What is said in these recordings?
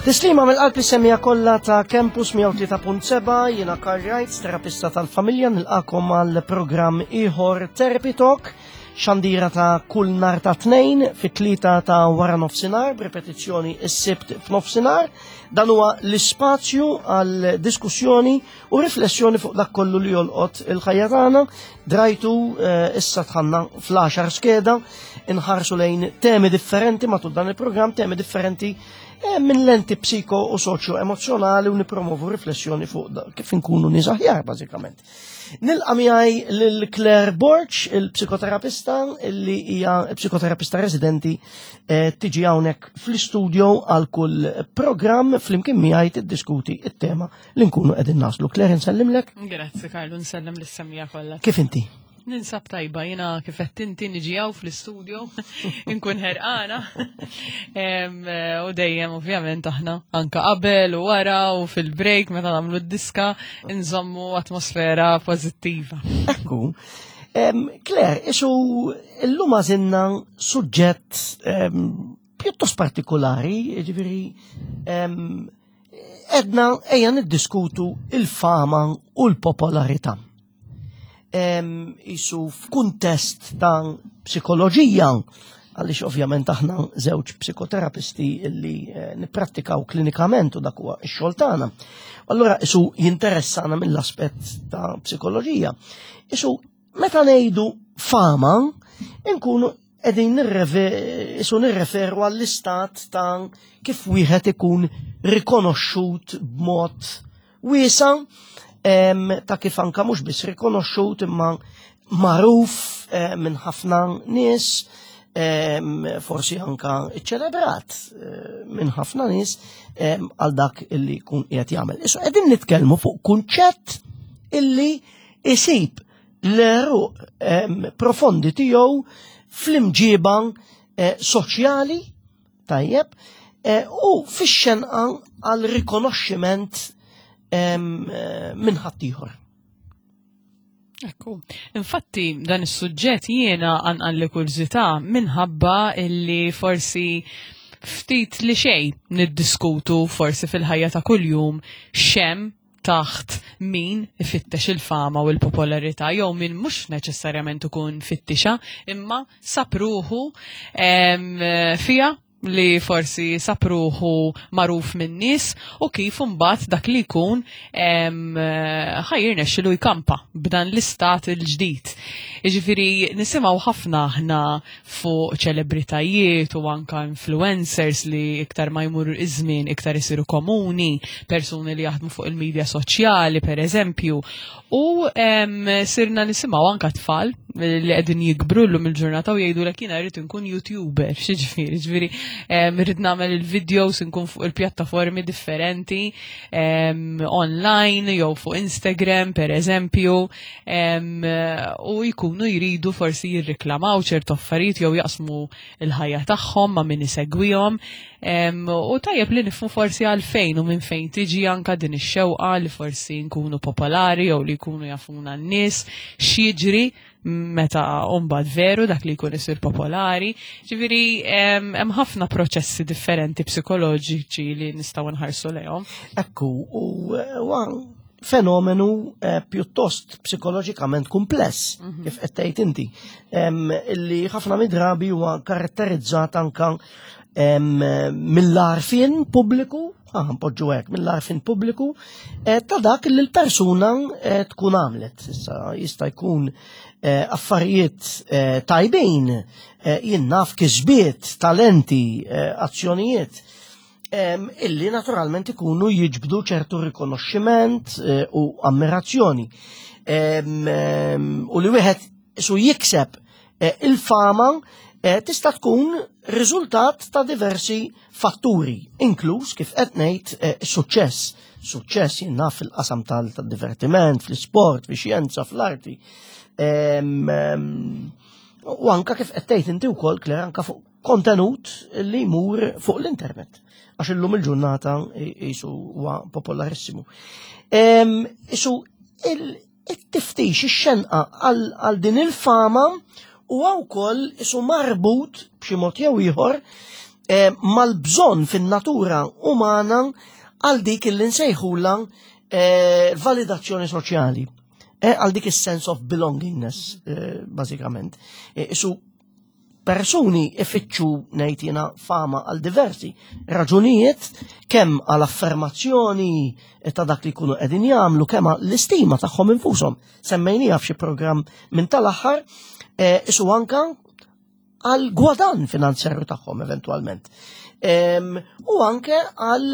Tislima mill-qalb is-semija kollha ta' Campus 103.7 jiena Karl Wright, terapista tal-familja, nilqakom għal programm ieħor Therapy Talk, xandira ta' kull nar ta' tnejn fit-tlieta ta' wara nofsinhar b'repetizzjoni s-sibt f'nofsinhar. Dan huwa l-ispazju għal diskussjoni u riflessjoni fuq dak kollu li jolqot il-ħajja tagħna. Drajtu eh, issa tħanna fl-10 skeda inħarsu lejn temi differenti matul dan il-programm, temi differenti eh, minn lenti psiko u soċjo emozjonali u nipromovu riflessjoni fuq kif inkunu nies aħjar bażikament. Nilqa' miegħi lil Claire Borch, il-psikoterapista li hija psikoterapista residenti eh, tiġi hawnhekk fl-istudio għal kull programm flimkien miegħi tiddiskuti it-tema li nkunu qegħdin naslu. Claire nsellimlek. Grazzi Karlu, nsellem lis-semija kollha. Kif inti? Ninsab tajba, jina kif qed inti niġi hawn fl-istudio, nkun ħerqana. U dejjem ovvjament aħna anka qabel u wara u fil-break meta nagħmlu d-diska nżommu atmosfera pożittiva. Ekku. Claire, isu llum għażilna suġġett pjuttost partikolari, ġifieri edna ejja niddiskutu il-fama u l-popolarità. Isu f'kuntest ta' psikoloġija, għaliex ovvjament aħna żewġ psikoterapisti li eh, nipprattikaw klinikament u dak huwa x-xogħol tagħna. Allura isu jinteressana mill-aspett ta' psikoloġija. Isu Meta ngħidu fama, inkunu qegħdin isu nirreferu għall-istat ta' kif wieħed ikun rikonoxxut b'mod wiesa ta' kif anka mhux biss rikonoxxut imma magħruf eh, minn ħafna nies forsi anka ċelebrat eh, minn ħafna nies għal dak illi jkun qiegħed jagħmel. Issa qegħdin nitkellmu fuq kunċett illi isib l-eruq profondi tiegħu fl-imġiba eh, soċjali tajjeb eh, u fix-xenqa għal rikonoxximent eh, minn ħaddieħor. Ekku. Infatti dan is-suġġett jiena għanqalli kurżità minħabba illi forsi ftit li xejn niddiskutu forsi fil-ħajja ta' kuljum xem taħt min ifittex il-fama u l-popolarità jew min mhux neċessarjament ikun fittixa imma sab ruħu fiha li forsi sab ruħu magħruf min-nies u kif imbagħad dak li jkun ħa jirnexxilu jkampa b'dan l-istat il-ġdid. Jiġifieri nisimgħu ħafna aħna fuq ċelebritajiet u anka influencers li iktar ma jmur iż-żmien iktar isiru komuni, persuni li jaħdmu fuq il-medja soċjali per eżempju. U sirna nisimgħu anka tfal li qegħdin jikbru llum il-ġurnata u jgħidu lek jiena rrid inkun YouTuber, xiġifieri, ġifieri rrid nagħmel il-videos inkun fuq il-pjattaformi differenti online jew fuq Instagram per eżempju. u jkunu jridu forsi jirriklamaw ċertu affarijiet jew jaqsmu l-ħajja tagħhom ma' min isegwihom. U tajjeb li nifmu forsi għalfejn u minn fejn tiġi anka din ix-xewqa li forsi nkunu popolari jew li jkunu jafuna n-nies x'jiġri meta mbagħad veru dak li jkun isir popolari. Ġifieri hemm ħafna proċessi differenti psikoloġiċi li nistgħu nħarsu lejhom. Ekku, u fenomenu eh, pjuttost psikoloġikament kumpless, mhm. kif qed tgħid inti, illi ħafna mid-drabi huwa karatterizzat anka mill-arfin pubbliku, ah, npoġġu hekk, mill-arfin pubbliku, eh, ta' dak li l-persuna eh, tkun għamlet. Issa jista' jkun affarijiet tajbin, jien naf kisbiet, talenti, azzjonijiet illi naturalment ikunu jiġbdu ċertu rikonoxximent eh, u ammirazzjoni. U li wieħed su jikseb eh, il-fama eh, tista' tkun riżultat ta' diversi fatturi, inkluż kif qed ngħid suċċess. Suċċess jien naf fil-qasam tal-divertiment, fl-isport, fix-xjenza, fl-arti. U anka kif qed tgħid inti wkoll Claire anka fuq kontenut li jmur fuq l-internet. Għax illum il-ġurnata jisu huwa popolarissimu. Isu il-tiftix, ix-xenqa għal din il-fama u wkoll isu marbut b'xi mod jew ieħor eh, mal-bżonn fin-natura umana għal dik li nsejħula eh, validazzjoni soċjali. Eh, għal dik is-sense of belongingness, bażikament. Isu persuni ifittxu ngħid jiena fama għal diversi raġunijiet kemm għal affermazzjoni ta' dak li jkunu qegħdin jagħmlu kemm l-istima tagħhom infushom. Semmejniha f'xi programm minn tal-aħħar isu anka għal gwadan finanzjarju tagħhom eventwalment. U anke għal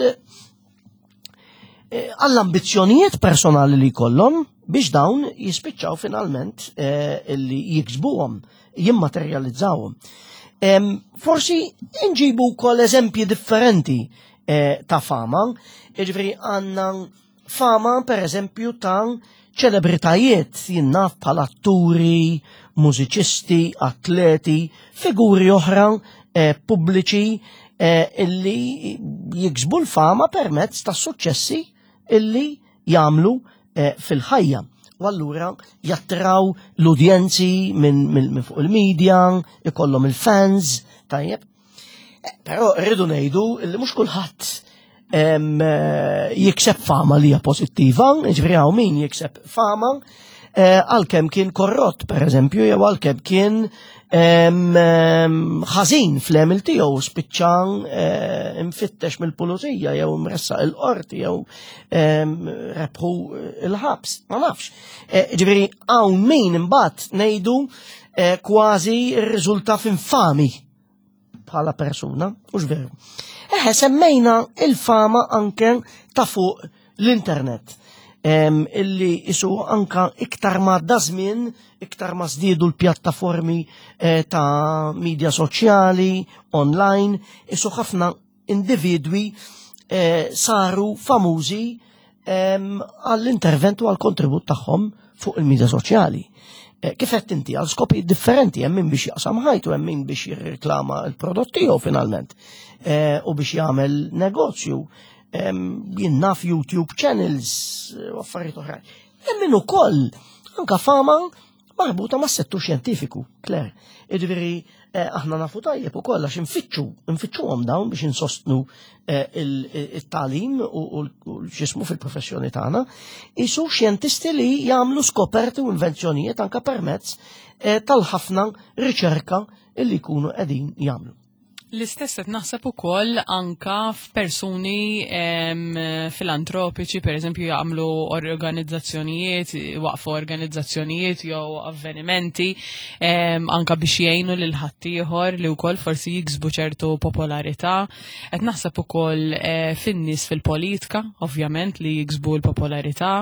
eh, għall-ambizzjonijiet personali li jkollhom biex dawn jispiċċaw finalment eh, li jiksbuhom, jimmaterjalizzawhom. Forsi nġibu wkoll eżempji differenti eh, ta' fama, jiġifieri għandna Fama, per eżempju, ta' ċelebritajiet jinnaf bħal atturi, mużiċisti, atleti, figuri oħra eh, pubbliċi eh, illi jiksbu l-fama permezz ta' suċċessi illi jagħmlu eh, fil-ħajja. U allura jattraw l-udjenzi minn min, min fuq il-media, ikollhom il-fans, tajjeb. Eh, però rridu ngħidu li mhux kulħadd eh, jikseb fama li hija pożittiva, jiġifieri hawn min jikseb fama eh, għalkemm kien korrott pereżempju jew għalkemm kien ħażin fl-għemil tiegħu spiċċa imfittex mill-pulizija jew imressaq il-qorti jew rebħu il-ħabs, ma nafx. Ġifieri hawn min imbagħad ngħidu kważi rriżulta f'infami bħala persuna, u veru. Eħe, semmejna il-fama anke ta' fuq l-internet. Illi isu anka iktar ma dażmin, iktar ma żdiedu l-pjattaformi eh, ta' media soċjali, online, isu ħafna individwi eh, saru famużi għall-intervent u għall-kontribut tagħhom fuq il-medja soċjali. Eh, kif qed inti għal skopi differenti hemm min biex jaqsam ħajtu, hemm min biex jirreklama l-prodott tiegħu finalment eh, u biex jagħmel negozju. Jien naf YouTube channels u affarijiet oħrajn. Hemm min ukoll anka fama marbuta mas settur xjentifiku, Claire. Jiġifieri eh, aħna nafu tajjeb ukoll għax infittxu, infittxuhom dawn biex insostnu eh, il-talim u l-ġismu fil-professjoni tagħna, isu xjentisti li jagħmlu skoperti u invenzjonijiet anka permezz eh, tal-ħafna riċerka li jkunu qegħdin jagħmlu. L-istess qed naħseb ukoll anka f'persuni filantropiċi, pereżempju jagħmlu organizzazzjonijiet, waqfu organizzazzjonijiet jew avvenimenti anka biex jgħinu lil ħaddieħor li wkoll forsi jiksbu ċertu popolarità. Qed naħseb ukoll eh, fin-nies fil-politika, ovvjament li jiksbu l-popolarità.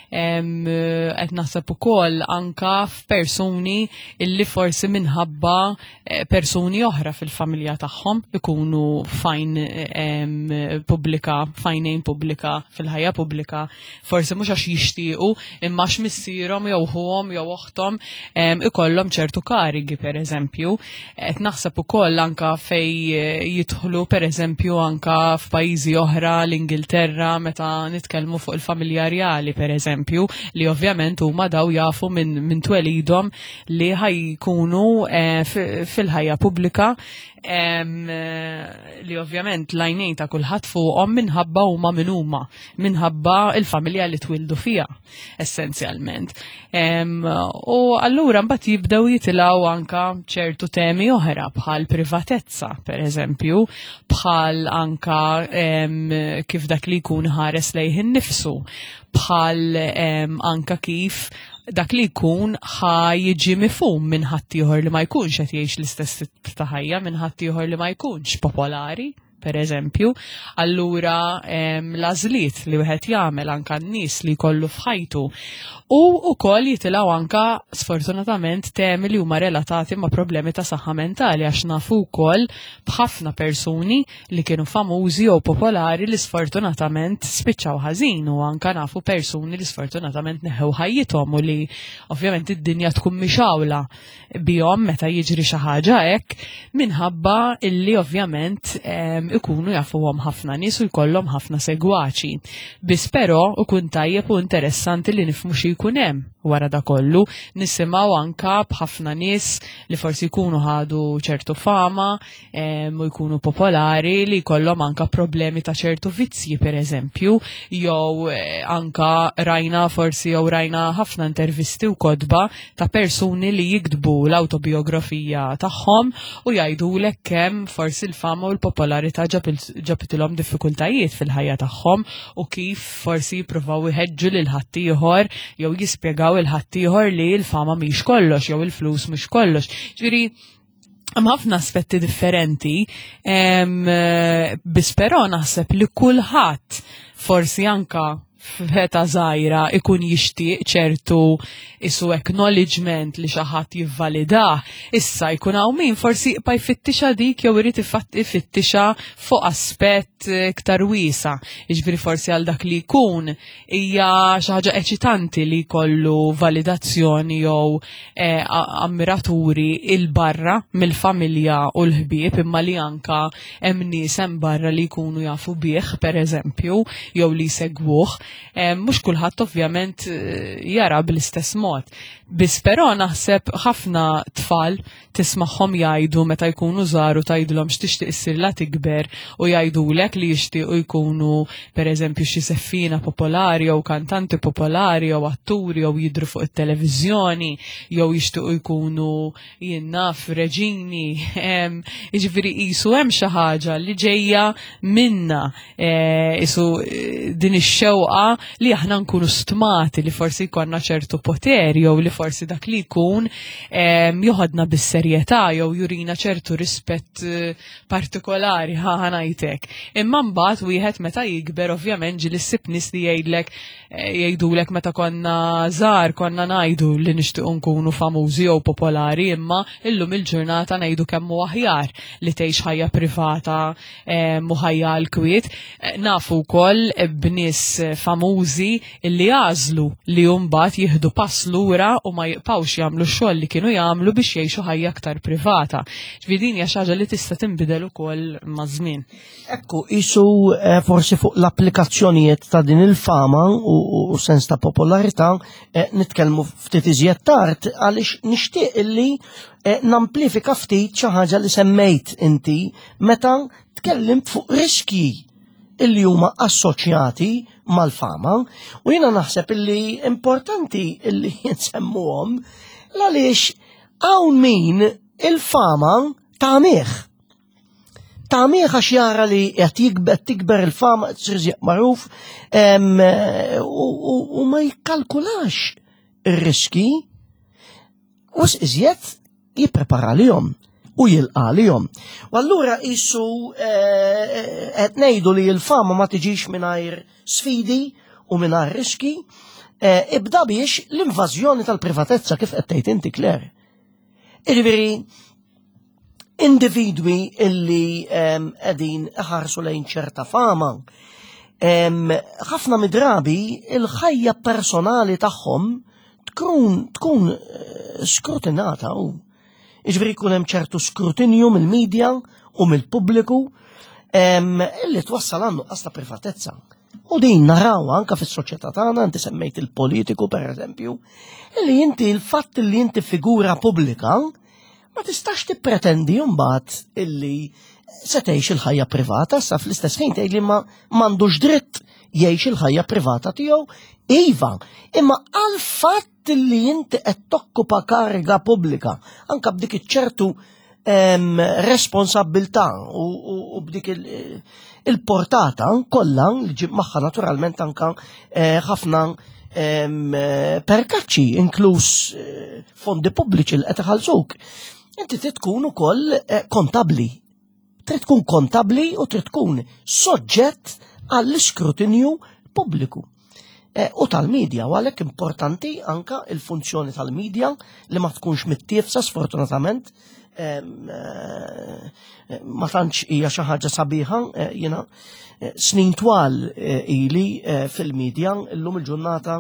Qed naħseb ukoll anka f'persuni illi forsi minħabba Eh, persuni oħra fil-familja tagħhom ikunu fajn pubblika, fajnejn pubblika, fil-ħajja pubblika, forsi mhux għax jixtiequ imma għax missierhom jew ħuhom jew oħthom ikollhom ċertu karigi pereżempju. Qed naħseb ukoll anka fej eh, jidħlu pereżempju anka f'pajjiżi oħra l-Ingilterra meta nitkellmu fuq il-familja rjali pereżempju li ovvjament huma daw jafu minn min twelidhom li ħajkunu eh, fil-ħajja pubblika eh, li ovvjament lajnejn ta' kulħadd fuqhom minħabba huma min huma, minħabba il-familja li twildu fiha essenzjalment. U allura mbagħad jibdew jitilgħu anka ċertu temi oħra bħal privatezza, per eżempju, bħal anka kif dak li jkun ħares lejh innifsu, bħal anka kif dak li jkun ħa jiġi mifhum minn ħaddieħor li ma jkunx qed jgħix l-istess tip ta' ħajja minn ħaddieħor li ma jkunx popolari per eżempju, allura l-għażliet li wieħed jagħmel anka n-nies li jkollu f'ħajtu. U wkoll jitilgħu anka sfortunatament temi li huma relatati ma' problemi ta' saħħa mentali għax nafu wkoll b'ħafna persuni li kienu famużi jew popolari li sfortunatament spiċċaw ħażin u anka nafu persuni li sfortunatament neħew ħajjithom u li ovvjament id-dinja tkun mixawla bihom meta jiġri xi ħaġa hekk minħabba illi ovvjament ikunu jafuhom ħafna nies u jkollhom ħafna segwaċi. Biss però ikun tajjeb u interessanti li nifhmu xi jkun hemm. wara da kollu. Nisimgħu anka b'ħafna nies li forsi jkunu ħadu ċertu fama u jkunu popolari li jkollhom anka problemi ta' ċertu vizzji per eżempju, jew eh, anka rajna forsi jew rajna ħafna intervisti u kodba ta' persuni li jiktbu l-autobiografija tagħhom u jgħidulek kemm forsi l-fama u l-popolarità ġabitilhom diffikultajiet fil-ħajja tagħhom u kif forsi jippruvaw iħeġġu lil ħaddieħor jew jispjegaw il ħaddieħor li l-fama mhix kollox jew il-flus mhux kollox. Ġifieri hemm ħafna aspetti differenti, biss però naħseb li kulħadd forsi anka f'eta żgħira ikun jixtieq ċertu isu acknowledgement li xi ħadd jivvalidah, issa jkun hawn min forsi jibqa' jfittixa dik jew irid ifittixha fuq aspett iktar wiesa. Jiġifieri forsi għal dak li jkun hija xi ħaġa eċitanti li jkollu validazzjoni jew eh, ammiraturi il barra mill-familja u l-ħbieb imma li anka hemm nies hemm barra li jkunu jafu bih pereżempju jew li jsegwuh. Eh, mhux kulħadd ovvjament eh, jara bl-istess mod. Biss però naħseb ħafna tfal tismagħhom jgħidu meta jkunu żgħar u tgħidilhom x'tixtieq issir la tikber u jgħidulek li jixtiequ jkunu pereżempju xi seffina popolari jew kantanti popolari jew atturi jew jidhru fuq it-televiżjoni jew jixtiequ jkunu jien naf reġini. Jiġifieri qisu hemm xi ħaġa li ġejja minna Eh, isu eh, din ix-xewqa li aħna nkunu stmati li forsi jkollna ċertu poter jew li forsi dak li jkun joħodna bis-serjetà jew jurina ċertu rispett eh, partikolari ħa ngħidlek. Imma mbagħad wieħed meta jikber ovvjament ġieli ssib nies li jgħidlek jgħidulek meta konna żgħar konna ngħidu li nixtiequ nkunu famużi jew popolari imma illum il-ġurnata ngħidu kemm hu aħjar li tgħix ħajja privata u ħajja għall-kwiet. Eh, nafu wkoll b'nies famużi li għażlu li mbagħad jieħdu pass lura u ma jibqgħux jagħmlu x-xogħol li kienu jagħmlu biex jgħixu ħajja aktar privata. Ġifieri din hija xi ħaġa li tista' tinbidel ukoll maż-żmien. Ekku, isu eh, forsi fuq l-applikazzjonijiet ta' din il-fama u sens ta' popolarità eh, nitkellmu ftit iżjed tard għaliex nixtieq illi Eh, namplifika ftit xi ħaġa li semmejt inti meta tkellimt fuq riskji illi huma assoċjati mal-fama u jiena naħseb illi importanti illi nsemmuhom għaliex hawn min il-fama tagħmih. Tagħmih għax jara li qed jikber tikber il-fama tsir magħruf u ma jikkalkulax ir-riski Wisq iżjed jipprepara lihom u jilqa' lihom. U allura qisu eh, qed ngħidu li l-fama ma tiġix mingħajr sfidi u mingħajr riski, eh, ibda biex l-invażjoni tal-privatezza kif qed tgħid inti Claire. Jiġifieri individwi illi ehm, qegħdin iħarsu lejn ċerta fama, ehm, ħafna midrabi il-ħajja personali tagħhom tkun tkun eh, skrutinata u jiġifieri jkun hemm ċertu skrutinju mill-medja u mill-pubbliku ehm, illi twassal għandu nuqqas ta' privatezza. U din naraw anka fis-soċjetà tagħna, inti semmejt il-politiku pereżempju, illi inti l-fatt li inti figura pubblika ma tistax tippretendi mbagħad illi se tgħix il-ħajja privata, sa fl-istess ħin tgħid li ma m'għandux dritt jgħix il-ħajja privata tiegħu. Iva, imma għal fatt li inti qed tokkupa kariga pubblika, anka b'dik iċ-ċertu responsabilità u b'dik il-portata kollha li ġib magħha naturalment anka eh, ħafna eh, perkaċċi inkluż eh, fondi pubbliċi li qed iħallsuk. Inti trid tkun ukoll eh, kontabbli. Trid tkun kontabbli u trid tkun soġġett għall-iskrutinju pubbliku. Eh, u tal-medja, u għalhekk importanti anka il-funzjoni tal-medja li ma tkunx mittiefsa sfortunatament eh, ma tantx hija xi ħaġa sabiħa jiena snin twal ili fil-medja illum il-ġurnata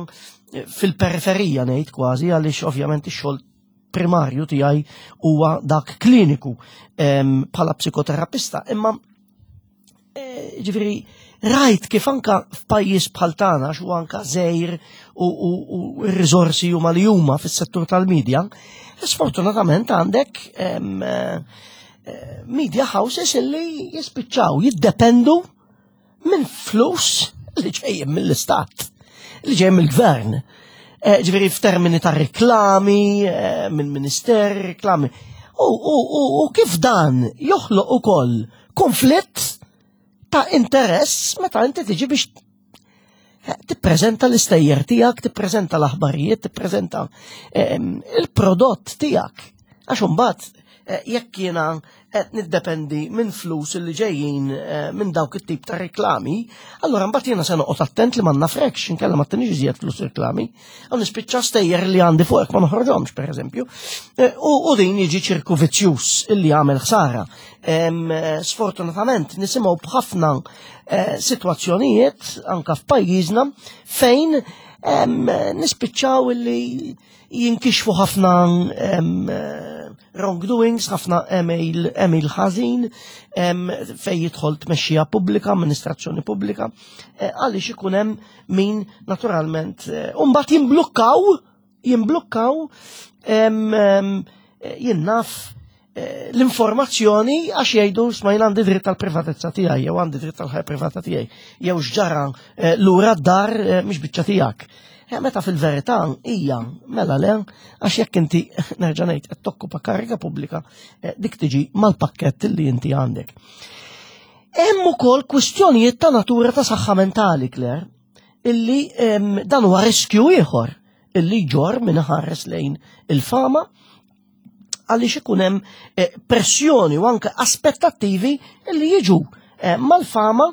fil-periferija ngħid kważi għaliex ovvjament ix-xogħol primarju tiegħi huwa dak kliniku bħala psikoterapista, imma eh, ġifieri Rajt kif anka f'pajjiż bħal tagħna xu anka żejr u r-riżorsi huma li huma fis-settur tal-medja, sfortunatament għandek eh, media houses illi jispiċċaw jiddependu minn flus li ġejjin mill-istat, li ġejjin mill-gvern. Eh, ġifieri f'termini ta' reklami, eh, minn minister, reklami. U kif dan joħloq ukoll konflitt ta' interess meta inti tiġi biex eh, tippreżenta l-istejjer tiegħek, tippreżenta l-aħbarijiet, tippreżenta ehm, il-prodott tiegħek. Għax imbagħad eh, jekk jiena qed niddependi minn flus li ġejjin eh, minn dawk it-tip ta' reklami, allura mbagħad jiena se noqgħod attent li ma nafrekx inkella ma tinix iżjed flus reklami. Għan nispiċċa stejjer li għandi fuqek ma noħorġhomx pereżempju. U din jiġi ċirku vizzjuż illi jagħmel ħsara. Sfortunatament nisimgħu b'ħafna eh, sitwazzjonijiet anka f'pajjiżna fejn nispiċċaw illi jinkixfu ħafna wrongdoings, ħafna email, email ħażin fejn jidħol tmexxija pubblika, amministrazzjoni pubblika, eh, għaliex ikun hemm min naturalment eh, u mbagħad jimblukkaw jimblukkaw jien naf eh, l-informazzjoni għax jgħidu sma jien għandi dritt tal-privatezza tiegħi jew għandi dritt tal-ħajja privata tiegħi jew x'ġara eh, lura d-dar eh, mhix biċċa tiegħek. Meta fil-verità hija mela le għax jekk inti nerġa' ngħid qed tokkupa kariga pubblika dik tiġi mal-pakkett li inti għandek. Hemm ukoll kwistjonijiet ta' natura ta' saħħa mentali, Claire, illi dan huwa riskju ieħor illi jġorr min iħares lejn il-fama għaliex ikun hemm eh, pressjoni u anke aspettattivi li jiġu eh, mal-fama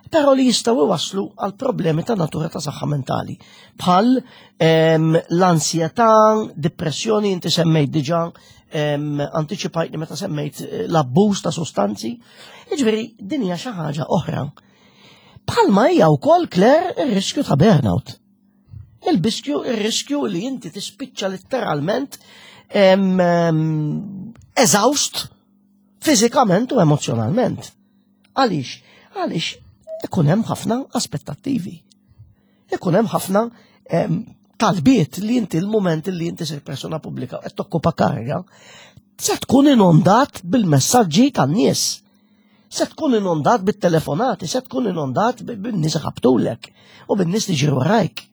però li jistgħu iwasslu għal problemi ta' natura ta' saħħa mentali. Bħal ehm, l-ansjetà, depressjoni, inti semmejt diġà ehm, antiċipajtni meta semmejt eh, l-abbuż ta' sostanzi. Jiġifieri din hija xi ħaġa oħra. Bħalma hija wkoll Claire ir-riskju ta' burnout. Il-biskju, ir-riskju li inti tispiċċa letteralment eżawst fiżikament u emozjonalment. Għaliex? Għaliex ikun hemm ħafna aspettattivi. Ikun hemm ħafna talbiet li inti l-moment li inti sir persona pubblika qed tokkupa karga, se tkun inondat bil-messaġġi tan-nies. Se tkun inondat bit-telefonati, se tkun inondat bin-nies ħabtulek u bin-nies li ġiru warajk.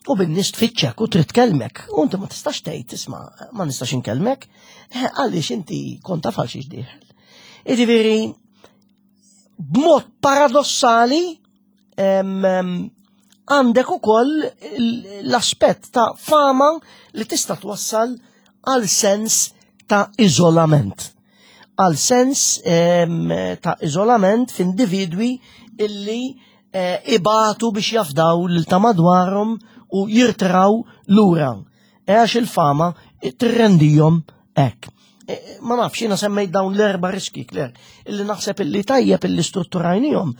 U bin-nies tfittxek u trid tkellmek. U inti ma tistax tgħid isma' ma nistax inkellmek eh, għaliex inti kont taf għal xiex dieħel. Jiġifieri b'mod paradossali għandek ukoll l-aspett ta' fama li tista' twassal għal sens ta' iżolament. Għal sens ta' iżolament f'individwi illi eh, ibatu biex jafdaw lil ta' madwarhom u jirtraw lura. E għax il-fama tirrendihom hekk. E, ma nafx, jiena semmejt dawn l-erba riski, Kler, illi naħseb illi tajjeb illi strutturajnihom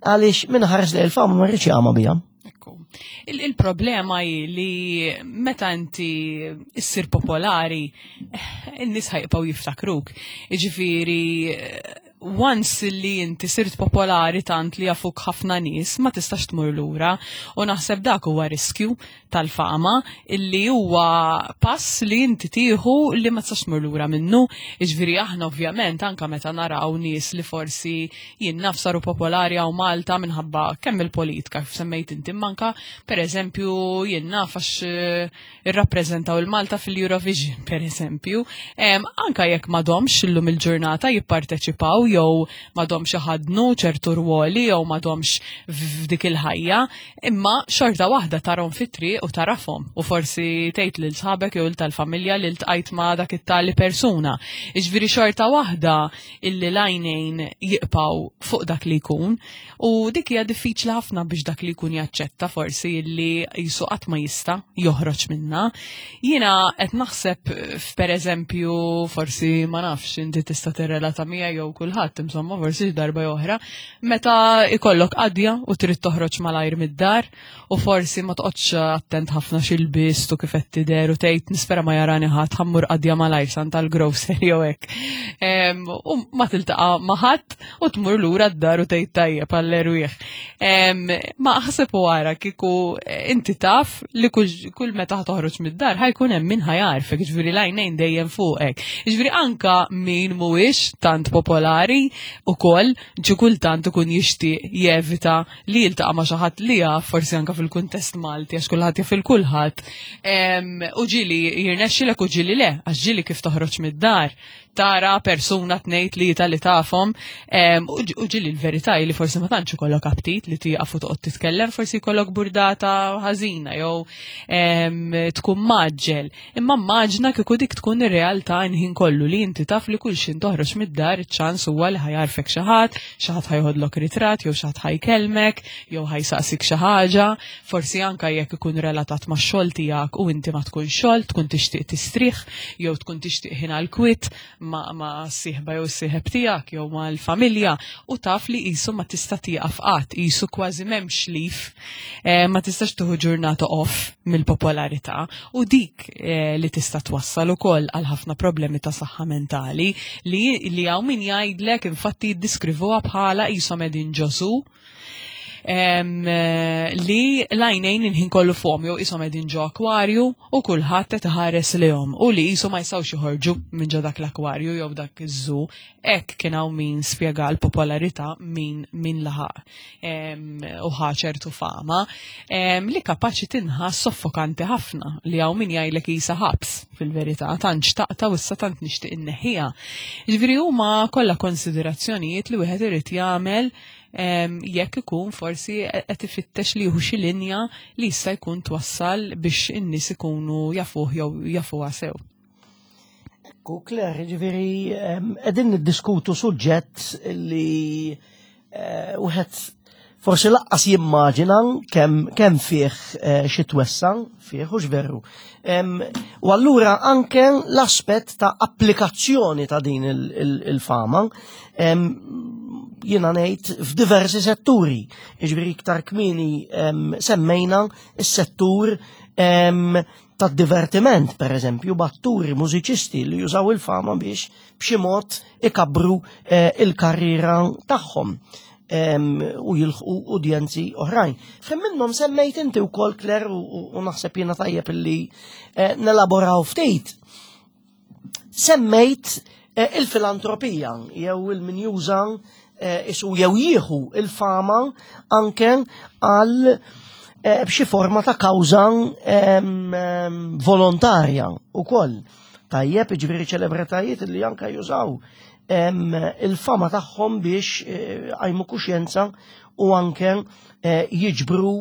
għaliex minn ħares li l-fama ma rridx jagħma biha. Il-problema hi li meta inti issir popolari, in-nies ħajqgħu jiftakruk. Jiġifieri once li inti sirt popolari tant li jafuk ħafna nies ma tistax tmur lura u naħseb dak huwa riskju tal-fama illi huwa pass li inti tieħu li ma tistax tmur lura minnu. Jiġifieri aħna ovvjament anka meta naraw nies li forsi jien naf saru popolari hawn Malta minħabba kemm il-politika kif semmejt inti manka pereżempju jien naf għax eh, irrappreżentaw il-Malta fil-Eurovision pereżempju, anka jekk m'għadhomx illum il-ġurnata jipparteċipaw jew m'għadhomx iħaddnu ċertu rwoli jew m'għadhomx f'dik il-ħajja, Imma xorta waħda tarhom fit-triq u tarafhom u forsi tgħid lil sħabek jew tal-familja li ltqajt ma' dak it-tali persuna. Iġviri xorta waħda illi l-għajnejn jiqpaw fuq dak li jkun u dik hija diffiċli ħafna biex dak li jkun jaċċetta forsi illi jisu qatt ma jista' joħroġ minna. Jiena qed naħseb f'pereżempju forsi ma nafx inti tista' tirrelata miegħi jew kulħadd insomma forsi darba oħra meta ikollok qadja u trid toħroġ malajr mid-dar u forsi ma toqgħodx attent ħafna x'ilbist u kif qed tidher u tgħid nispera ma jarani ħadd ħammur qadja malajr san tal-grocery jew hekk. U ma tiltaqa' ma' ħadd u tmur lura d-dar u tgħid tajjeb għall-erwieħ. Ma aħseb u ara kieku eh, inti taf li kull meta toħroġ mid-dar ħajkun hemm min ħajarfek, ġifieri l-għajnejn dejjem fuqek. Ġifieri anka min mhuwiex tant popolari ukoll ġi kultant ikun jixtieq jevita li jiltaqa' ma' xi ħadd li jaf forsi anka fil-kuntest Malti għax kulħadd jaf il-kulħadd. U ġieli jirnexxilek u ġieli le, għax ġieli kif toħroġ mid-dar tara persuna tnejn tlieta li tafhom u ġili l-verità li forsi ma tantx ikollok aptit li tieqaf u toqgħod titkellem, forsi jkollok burdata ħażina jew tkun maġġel. Imma maġna kieku dik tkun ir-realtà nħin kollu li inti taf li kull xin toħroġ mid-dar iċ-ċans huwa li ħajarfek xi ħadd, xi ħadd ħajħodlok ritratt jew xi ħadd ħajkellmek jew ħajsaqsik xi ħaġa, forsi anka jekk ikun relatat max-xogħol tiegħek u inti ma tkun xogħol, tkun tixtieq tistrieħ jew tkun tixtieq ħin għal kwiet ma' ma' sieħba jew sieħeb tiegħek jew mal-familja u taf li qisu ma tista' tieqaf qatt, qisu kważi m'hemmx lif, eh, ma tistax tieħu ġurnata off mill-popolarità u dik eh, li tista' twassal ukoll għal ħafna problemi ta' saħħa mentali li li hawn min jgħidlek infatti jiddiskrivuha bħala qishom qegħdin ġosu Eh, li l-għajnejn inħin kollu fuqhom jew qishom qegħdin ġo akwarju u kulħadd qed iħares lihom u li qisu ma jistgħux joħorġu minn ġo dak l-akwarju jew dak iż-żu. Hekk kien hawn min spjega l-popolarità min min laħaq u ħa ċertu fama li kapaċi tinħass soffokanti ħafna li hawn min jgħidlek qisha ħabs fil-verità tant xtaqta u issa tant nixtieq inneħħiha. Jiġifieri huma kollha konsiderazzjonijiet li wieħed irid jagħmel jekk ikun forsi qed ifittex li jieħu xi linja li jista' jkun twassal biex in-nies ikunu jafuh jew jafuha sew. Ekku, Claire, ġifieri qegħdin niddiskutu suġġett li eh, wieħed forsi laqqas jimmaġina kemm kemm fih eh, xi twessa fih u veru. U allura anke l-aspett ta' applikazzjoni ta' din il-fama jiena ngħid f'diversi setturi. Jiġifieri iktar kmieni semmejna s-settur tad-divertiment, per eżempju, batturi, mużiċisti li jużaw il-fama biex b'xi mod ikabbru eh, il-karriera tagħhom u jilħqu udjenzi oħrajn. Fim minnhom semmejt inti wkoll Claire u naħseb jiena tajjeb illi eh, nelaboraw ftit. Semmejt eh, il-filantropija jew il-min juża eh, isu jew jieħu il-fama anke għal eh, b'xi forma ta' kawża volontarja ukoll. Tajjeb, ġifieri ċelebritajiet li anke jużaw il-fama tagħhom biex għajmu kuxjenza u anke jiġbru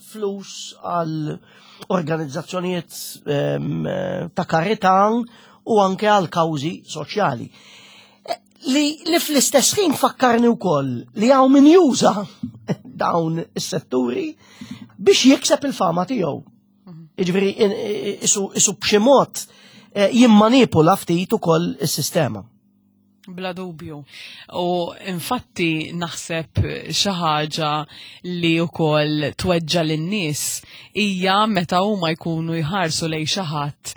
flus għal organizzazzjonijiet ta' karità u anke għal kawżi soċjali. Eh, li, li fl-istess ħin fakkarni wkoll li hawn min juża dawn is-setturi biex jikseb il-fama tiegħu. Mhm. Jiġifieri isu, isu b'xi mod eh, jimmanipula ftit ukoll is-sistema. Bla dubju. U infatti naħseb xi ħaġa li wkoll tweġġa lin-nies hija meta huma jkunu jħarsu lejn xi ħadd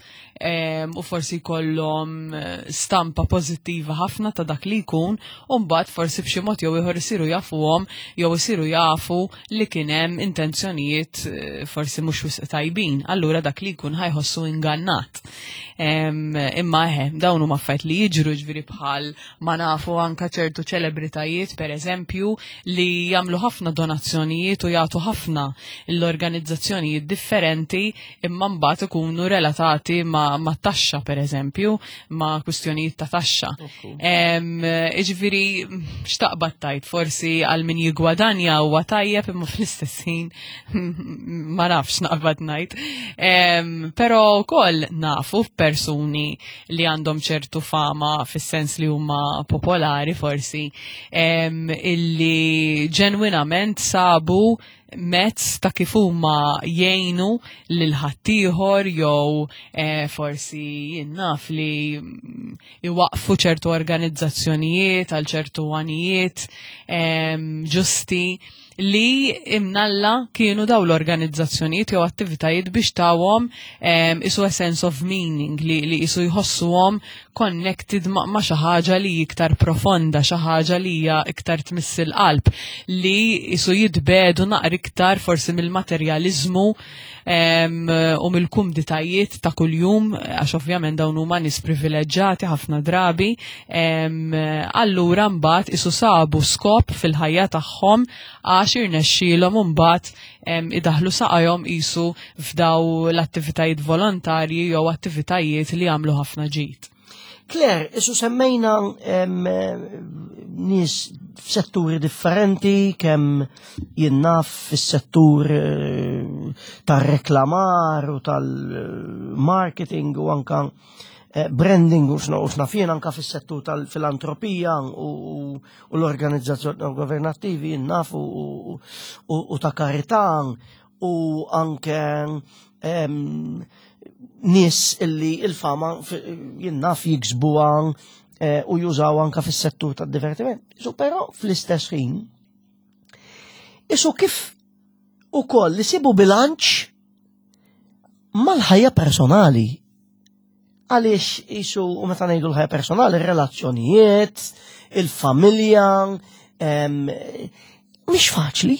u forsi jkollhom eh, stampa pożittiva ħafna ta' dak li jkun u mbagħad forsi b'xi mod jew ieħor isiru jafuhom jew isiru jafu li kien hemm intenzjonijiet eh, forsi mhux wisq tajbin. Allura dak li jkun ħajħossu ingannat. Imma eħe, dawn huma affarijiet li jiġru ġifieri bħal ma nafu anka ċertu ċelebritajiet pereżempju li jagħmlu ħafna donazzjonijiet u jagħtu ħafna l-organizzazzjonijiet differenti imma mbagħad ikunu relatati ma', ma taxxa pereżempju, ma' kwistjonijiet ta' taxxa. Iġifieri xtaqbad tajt forsi għal min jigwadanja huwa tajjeb imma fl-istess ħin ma nafx naqbad ngħid. Però wkoll nafu f'persuni li għandhom ċertu fama fis-sens li huma popolari forsi illi ġenwinament sabu mezz ta' kif huma jgħinu lil ħaddieħor jew eh, forsi jien naf li iwaqfu ċertu organizzazzjonijiet għal ċertu għanijiet ġusti. li imnalla kienu daw l-organizzazzjonijiet jew attivitajiet biex tawhom isu a sense of meaning li, li isu jħossuhom connected ma, ma xi ħaġa li iktar profonda, xi ħaġa li hija iktar tmiss il-qalb, li isu jitbedu naqra iktar forsi mill-materjaliżmu u mill-kumditajiet ta' kuljum, għax ovvjament dawn huma nies privileġġati ħafna drabi, allura mbagħad isu sabu skop fil-ħajja tagħhom għax irnexxielhom imbagħad idaħlu saqajhom qisu f'daw l-attivitajiet volontarji jew attivitajiet li jagħmlu ħafna ġid. Claire, isu semmejna nies f'setturi differenti, kemm jinnaf fis-settur eh, tar-reklamar u tal-marketing u anka eh, branding u xna fien anka fis-settur tal-filantropija u l-organizzazzjoni governattivi jinnaf u ta' karità u anke nies illi il-fama jinnaf jiksbuha eh, u jużaw anka fis-settur tad-divertiment. Isu però fl-istess ħin isu kif ukoll li sibu bilanċ mal-ħajja personali. Għaliex isu u meta ngħidu l-ħajja personali, relazzjonijiet, il-familja, mhix faċli.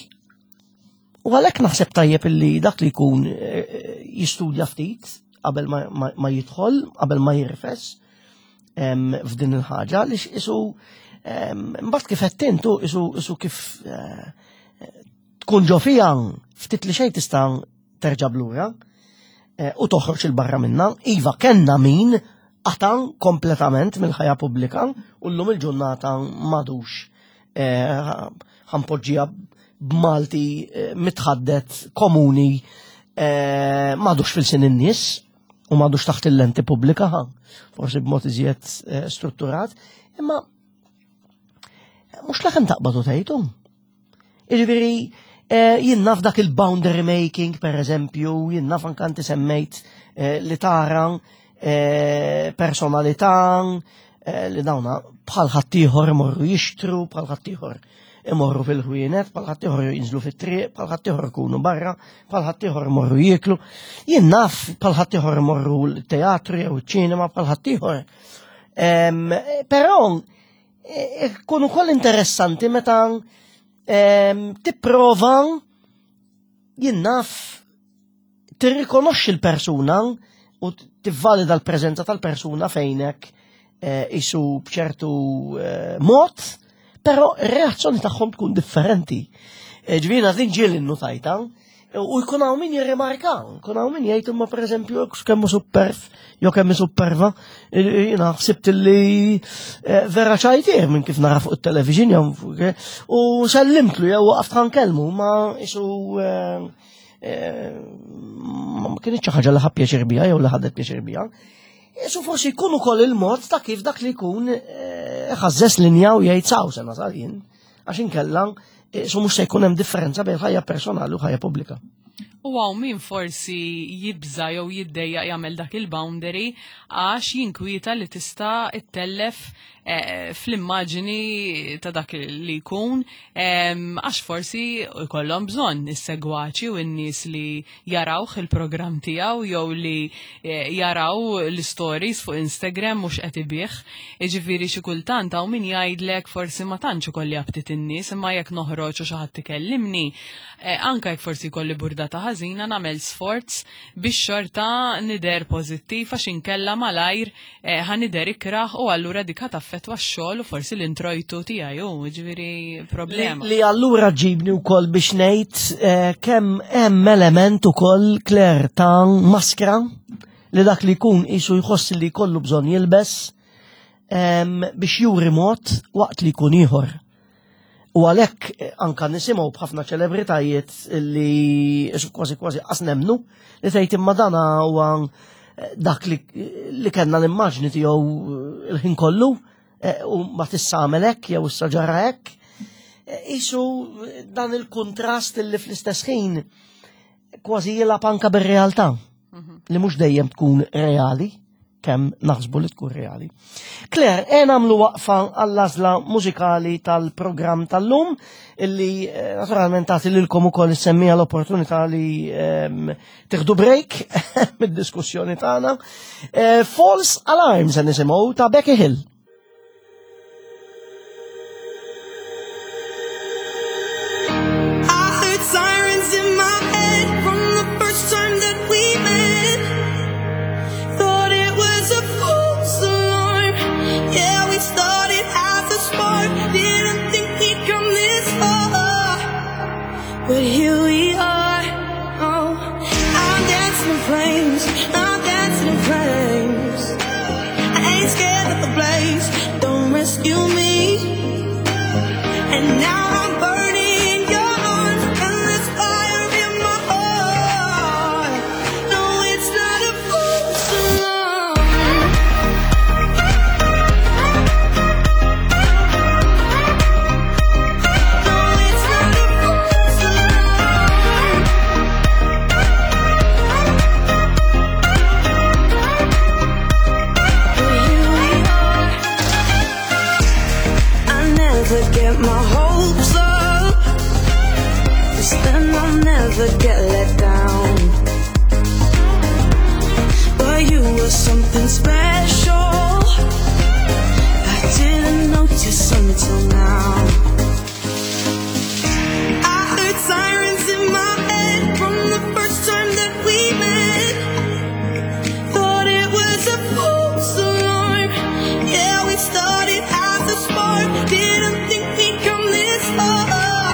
U għalhekk naħseb tajjeb illi dak li jkun eh, jistudja ftit qabel ma jidħol, qabel ma jirfes f'din il-ħaġa, li isu mbagħad kif qed intu isu isu kif eh, tkun ġo fija ftit li xejn tista' terġa' blura eh, u toħroġ il-barra minna. Iva kellna min qata' kompletament mill-ħajja pubblika u llum il-ġurnata madux eh, ħanpoġġija b'Malti eh, mitħaddet komuni eh, madux fil-sin in-nies u madux taħt il-lenti pubblika, forsi b'mod iżjed strutturat, imma mhux laħem taqbad u tgħidu. Jiġifieri jien naf dak il-boundary making, per eżempju, jien naf anke inti semmejt li tara personalità li dawna bħal ħaddieħor imorru jixtru, bħal ħaddieħor imorru fil-ħwienet, bħal ħaddieħor jinżlu fit-triq, bħal ħaddieħor ikunu barra, bħal ħaddieħor imorru jieklu. Jien naf bħal ħaddieħor imorru l-teatru jew iċ-ċinema bħal ħaddieħor. Però Ikun ukoll interessanti meta tipprova jien naf tirrikonoxxi l-persuna u tivvalida l-preżenza tal-persuna fejnek eh, isu bċertu eh, mod, però r-reazzjoni tagħhom tkun differenti. Eh, ġvina din ġieli nnutajta, U jkun hawn min jirrimarka, jkun hawn min jgħid imma pereżempju kemm superf, jew kemm superva, jiena ħsibt li eh, vera ċajtier minn kif nara fuq it-television jew eh, u sellimtlu jew waqaft ħankellmu ma isu eh, ma kienx xi ħaġa li ħa pjaċir biha jew li ħadet pjaċir biha. Isu forsi jkun ukoll il-mod ta' kif dak li jkun ħażżes linja u jgħid saw se nasal jien. Għax inkella, eh, su mhux se jkun hemm differenza bejn ħajja personali u ħajja pubblika. U għaw min forsi jibża jew jiddejja jagħmel dak il-boundary għax jinkwieta li tista' ittellef eh, fl-immaġini ta' dak li jkun għax forsi jkollhom bżonn is-segwaċi u n-nies li jarawh il-programm tiegħu jew li eh, jaraw l-stories fuq Instagram mhux qed ibih. Jiġifieri xi kultant hawn min jgħidlek forsi ma tantx ikolli aptit in-nies imma jekk noħroġ u xi ħadd ikellimni, eh, anke jekk forsi jkolli burdata ħażina nagħmel sforz biex xorta nidher pożittiv għax inkella malajr Eh, ħa nidher ikrah u allura dik ħa taffettwa x-xogħol u forsi l-introjtu tiegħi u ġifieri problema. Li, li allura ġibni wkoll biex ngħid eh, kemm hemm element ukoll Claire ta' maskra li dak li jkun isu jħoss li jkollu bżonn jilbes biex juri mod waqt li jkun ieħor. U għalhekk eh, anka nisimgħu b'ħafna ċelebritajiet li kważi kważi qas nemnu li tgħid imma dana huwa eh, dak li, li kellna l-immaġni tiegħu eh, il-ħin kollu u ma tissa għamel hekk jew issa ġara hekk. Isu dan il-kontrast li fl-istess ħin kważi jilgħab anka bir-realtà mhm. li mhux dejjem tkun reali. kemm naħsbu li tkun reali. Claire, e nagħmlu waqfa għall-għażla mużikali tal-programm tal-lum illi eh, naturalment tagħti lilkom ukoll issemmija l-opportunità li ehm, tieħdu break mid-diskussjoni tagħna. Eh, False Alarm se nisimgħu ta' Becky Hill. But here we are. Oh, I'm dancing in flames. I'm dancing in flames. I ain't scared of the blaze. Don't rescue me. And now I'm burning in your arms, and there's fire in my heart. No, it's not a false alarm. No, it's not a false alarm. But here we are. I never get my hopes up, 'cause then I'll never get let down. But you were something special. I didn't notice until now. I heard sirens in my head from the first time that we met. Thought it was a false alarm. Yeah, we started as a spark. Didn't think we'd come this far.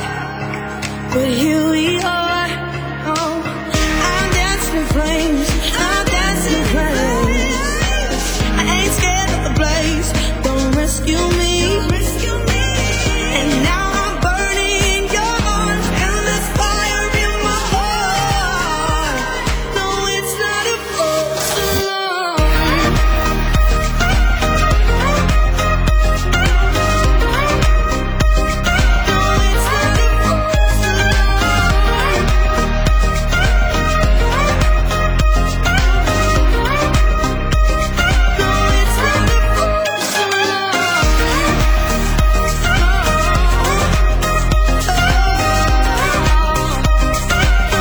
But here we are. Oh, I'm dancing in flames. I'm dancing in flames. I ain't scared of the blaze. Don't rescue me. And now I'm burning in your arms, and there's fire in my heart. No, it's not a false alarm. No, it's not a false alarm.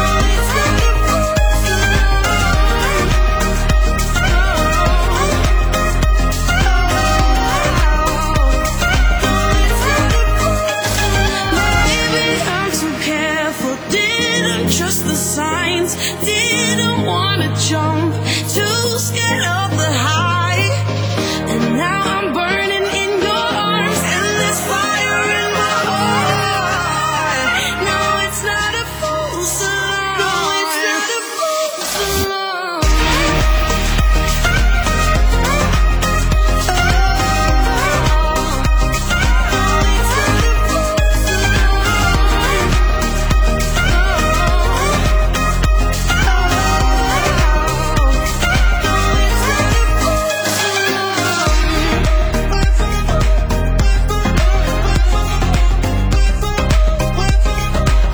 No, it's not a false alarm. No, it's not a false alarm. Maybe I'm too careful. Didn't trust the signs. Didn't wanna jump. Too scared of the high. And now I'm burning in your arms. And there's fire in my heart. No, it's not a false alarm. No, it's not a false alarm.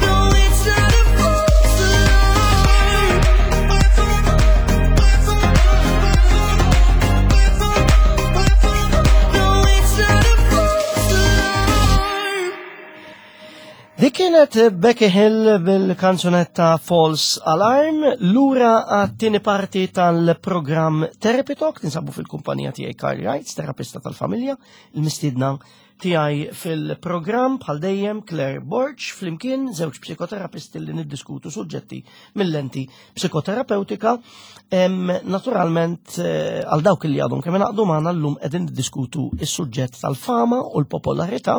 No, it's not a false alarm. No, it's not a false alarm. Dik kienet Becky Hill bil-kanzunetta False Alarm, lura għat-tieni parti tal-programm Therapy Talk, ninsabu fil-kumpanija tiegħi Carl Wrights, terapista tal-familja, il-mistiedna tiegħi fil-programm bħal dejjem Claire Borg, flimkien żewġ psikoterapisti li niddiskutu suġġetti mill-lenti psikoterapeutika. Naturalment, eh, għal dawk li għadhom kemm ingħaqdu magħna llum qegħdin niddiskutu is-suġġett tal-fama u l-popolarità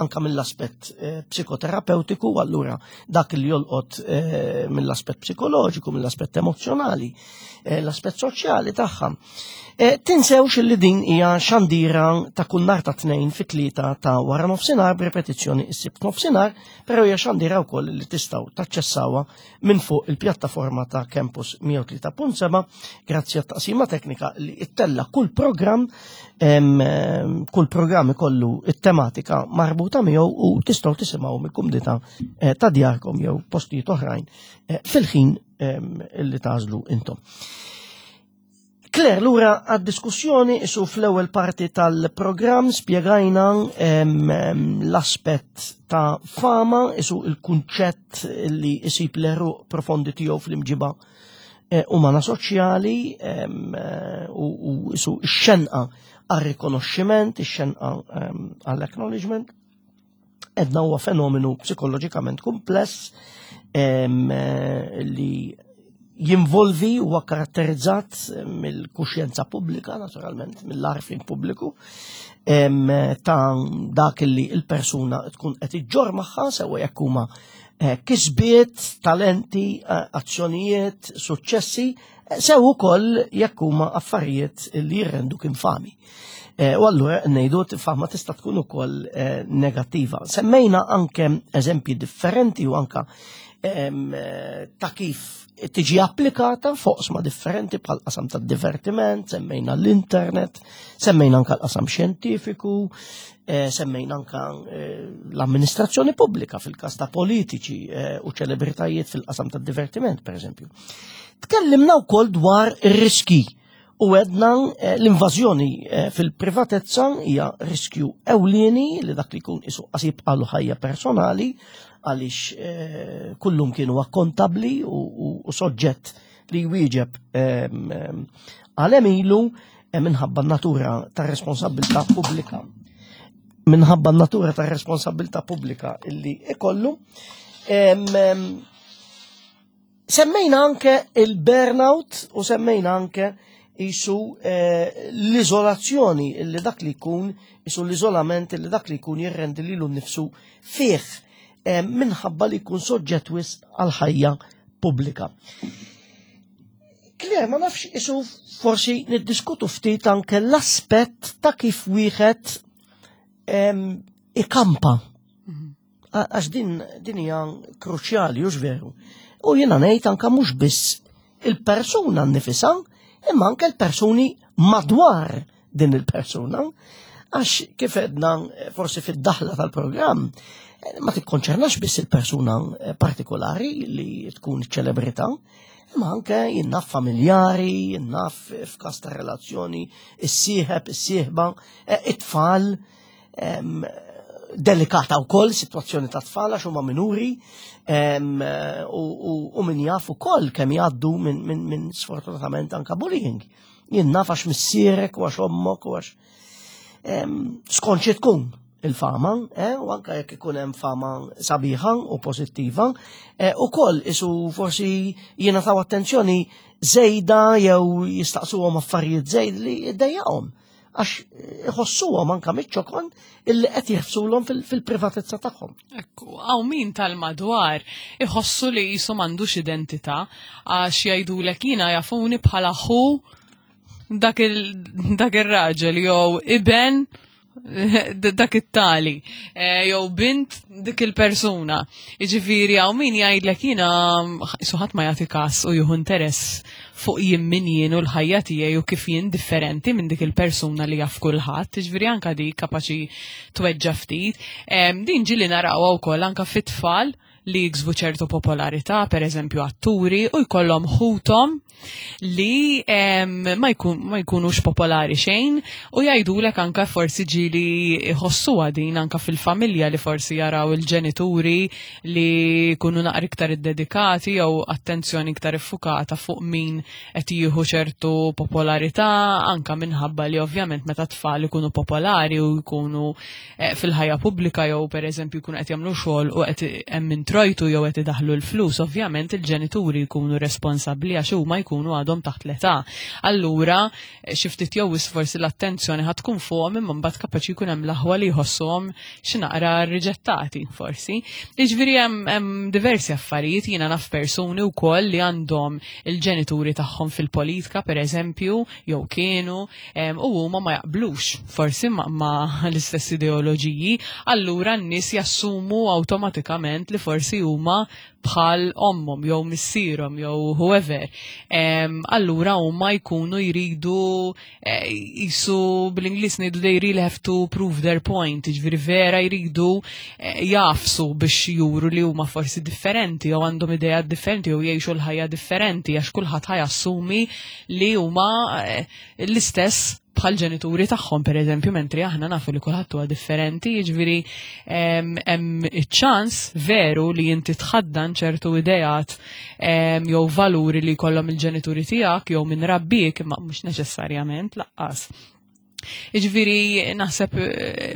anka mill-aspett eh, psikoterapeutiku, allura dak li jolqot eh, mill-aspett psikoloġiku, mill-aspett emozjonali, l-aspett soċjali tagħha. Tinsewx li din hija xandira ta' kull nhar ta' tnejn fit-tlieta ta' wara nofsinhar b'repetizzjoni s-sibt nofsinhar, però hija xandira wkoll li tistgħu taċċessawha minn fuq il-pjattaforma ta' Campus 103.7 grazzi għat-taqsima teknika li ittella kull programm kull programm ikollu it-tematika marbuta miegħu u tistgħu tisimgħu mill-kumdità eh, ta' djarkom jew postijiet oħrajn eh, fil-ħin li tażlu intom. Claire, lura għad-diskussjoni isu fl-ewwel parti tal-programm spjegajna l-aspett ta' fama, isu il-kunċett li isib l-eruq profondi tiegħu fl-imġiba eh, umana soċjali eh, u isu x-xenqa għar-rikonoxximent, ix-xenqa għall-acknowledgement. Edna huwa fenomenu psikoloġikament kumpless eh, li jinvolvi huwa karatterizzat mill-kuxjenza pubblika, naturalment, mill-arfin pubbliku, ta' dak li il-persuna tkun qed iġġor magħha sewa jekk huma eh, kisbiet, talenti, eh, azzjonijiet, suċċessi, sew ukoll jekk huma affarijiet li jirrenduk infami. Eh, u allura ngħidu fama tista' tkun ukoll eh, negattiva. Semmejna anke eżempji differenti u anka eh, ta' kif tiġi applikata fuq sma differenti bħal qasam tad divertiment, semmejna l-internet, semmejna anka l-qasam xjentifiku, semmejna anka l-amministrazzjoni pubblika fil-każ ta' politiċi u ċelebritajiet fil-qasam tad divertiment, per eżempju. Tkellimna wkoll dwar ir-riski U għedna eh, l-invażjoni eh, fil-privatezza hija riskju ewlieni li dak li jkun isu qasib għalu ħajja personali għaliex eh, kullum kienu akkontabli u soġġett li jwieġeb ehm, ehm, għal emilu minħabba natura ta' responsabilità pubblika. Minħabba natura ta' responsabilità pubblika illi ikollu. Ehm, Semmejna anke il-burnout u semmejna anke jisu eh, l-izolazzjoni li dak li jkun, jisu l-izolament li dak li jkun jirrendi lilu nnifsu fih eh, minħabba li jkun soġġett wisq għal ħajja pubblika. Claire, ma nafx isu forsi niddiskutu ftit anke l-aspett ta' kif wieħed ikampa. Għax din din hija kruċjali, hux veru. U jiena ngħid anke mhux biss il-persuna nnifisha, imma anke l-persuni madwar din il-persuna. Għax kif edna forsi fid-daħla tal-programm, ma tikkonċernax biss il-persuna partikolari li tkun ċelebrità, imma anke jien naf familjari, jien naf f'każ ta' relazzjoni, is-sieħeb, is-sieħba, eh, it-tfal, delikata wkoll sitwazzjoni ta' tfal għax huma minuri u min jaf ukoll kemm jgħaddu minn sfortunatament anka bullying. Jien naf għax missierek u għax ommok u għax skont xi tkun il-fama, eh, u anka jekk ikun hemm fama sabiħa u pożittiva, eh, ukoll isu forsi jingħataw attenzjoni żejda jew jistaqsuhom affarijiet żejd li jdejjaqhom għax iħossuhom anka miċ-ċokon illi qed jħssulhom fil-privatezza tagħhom. Ekku, hawn min tal-madwar iħossu li jisu m'għandux identità għax jgħidulek jiena jafuni bħala ħu dak il-raġel jew iben dak it-tali eh, jew bint dik il-persuna. Jiġifieri hawn min jgħidlek jiena suħat ma jagħti kas u jieħu interess fuq jien min jien u l-ħajja tiegħi u kif jien differenti minn dik il-persuna li jaf kulħadd, jiġifieri anka dik kapaċi tweġġa' ftit. Din ġieli narawha wkoll anka fit-tfal li jiksbu ċertu popolarità, per eżempju atturi, u jkollhom ħuthom li ma, jkun, ma jkunux popolari xejn u jgħidulek anka forsi ġieli jħossuha din anka fil-familja li forsi jaraw il-ġenituri li jkunu naqra iktar iddedikati jew attenzjoni iktar iffukata fuq min qed jieħu ċertu popolarità anka minħabba li ovvjament meta tfal ikunu popolari u jkunu eh, fil-ħajja pubblika jew pereżempju jkunu qed jagħmlu xogħol u qed hemm introjtu jew qed idaħlu l-flus, ovvjament il-ġenituri jkunu responsabbli għax huma jkunu għadhom taħt l-età. Allura eh, xi ftit jew forsi l-attenzjoni ħad tkun fuqhom imma mbagħad kapaċi jkun hemm l-aħwa li jħossuhom xi naqra riġettati forsi. Jiġifieri hemm diversi affarijiet jiena naf persuni wkoll li għandhom il-ġenituri tagħhom fil-politika pereżempju jew kienu u huma ma jaqblux forsi ma, ma l-istess ideoloġiji, allura n-nies jassumu awtomatikament li forsi forsi huma bħal ommhom jew missierhom jew whoever. Allura huma jkunu jridu eh, jisu bl-Ingliż ngħidu they really have to prove their point, jiġifieri vera jridu eh, jafsu biex juru li huma forsi differenti jew għandhom idea differenti jew jgħixu l-ħajja differenti għax kulħadd ħajassumi li huma eh, l-istess bħal ġenituri tagħhom pereżempju mentri aħna nafu li kulħadd huwa differenti, jiġifieri hemm iċ-ċans veru li inti tħaddan ċertu ideat jew valuri li jkollhom il-ġenituri tiegħek jew minn rabbik imma mhux neċessarjament laqqas. Iġviri, naħseb eh,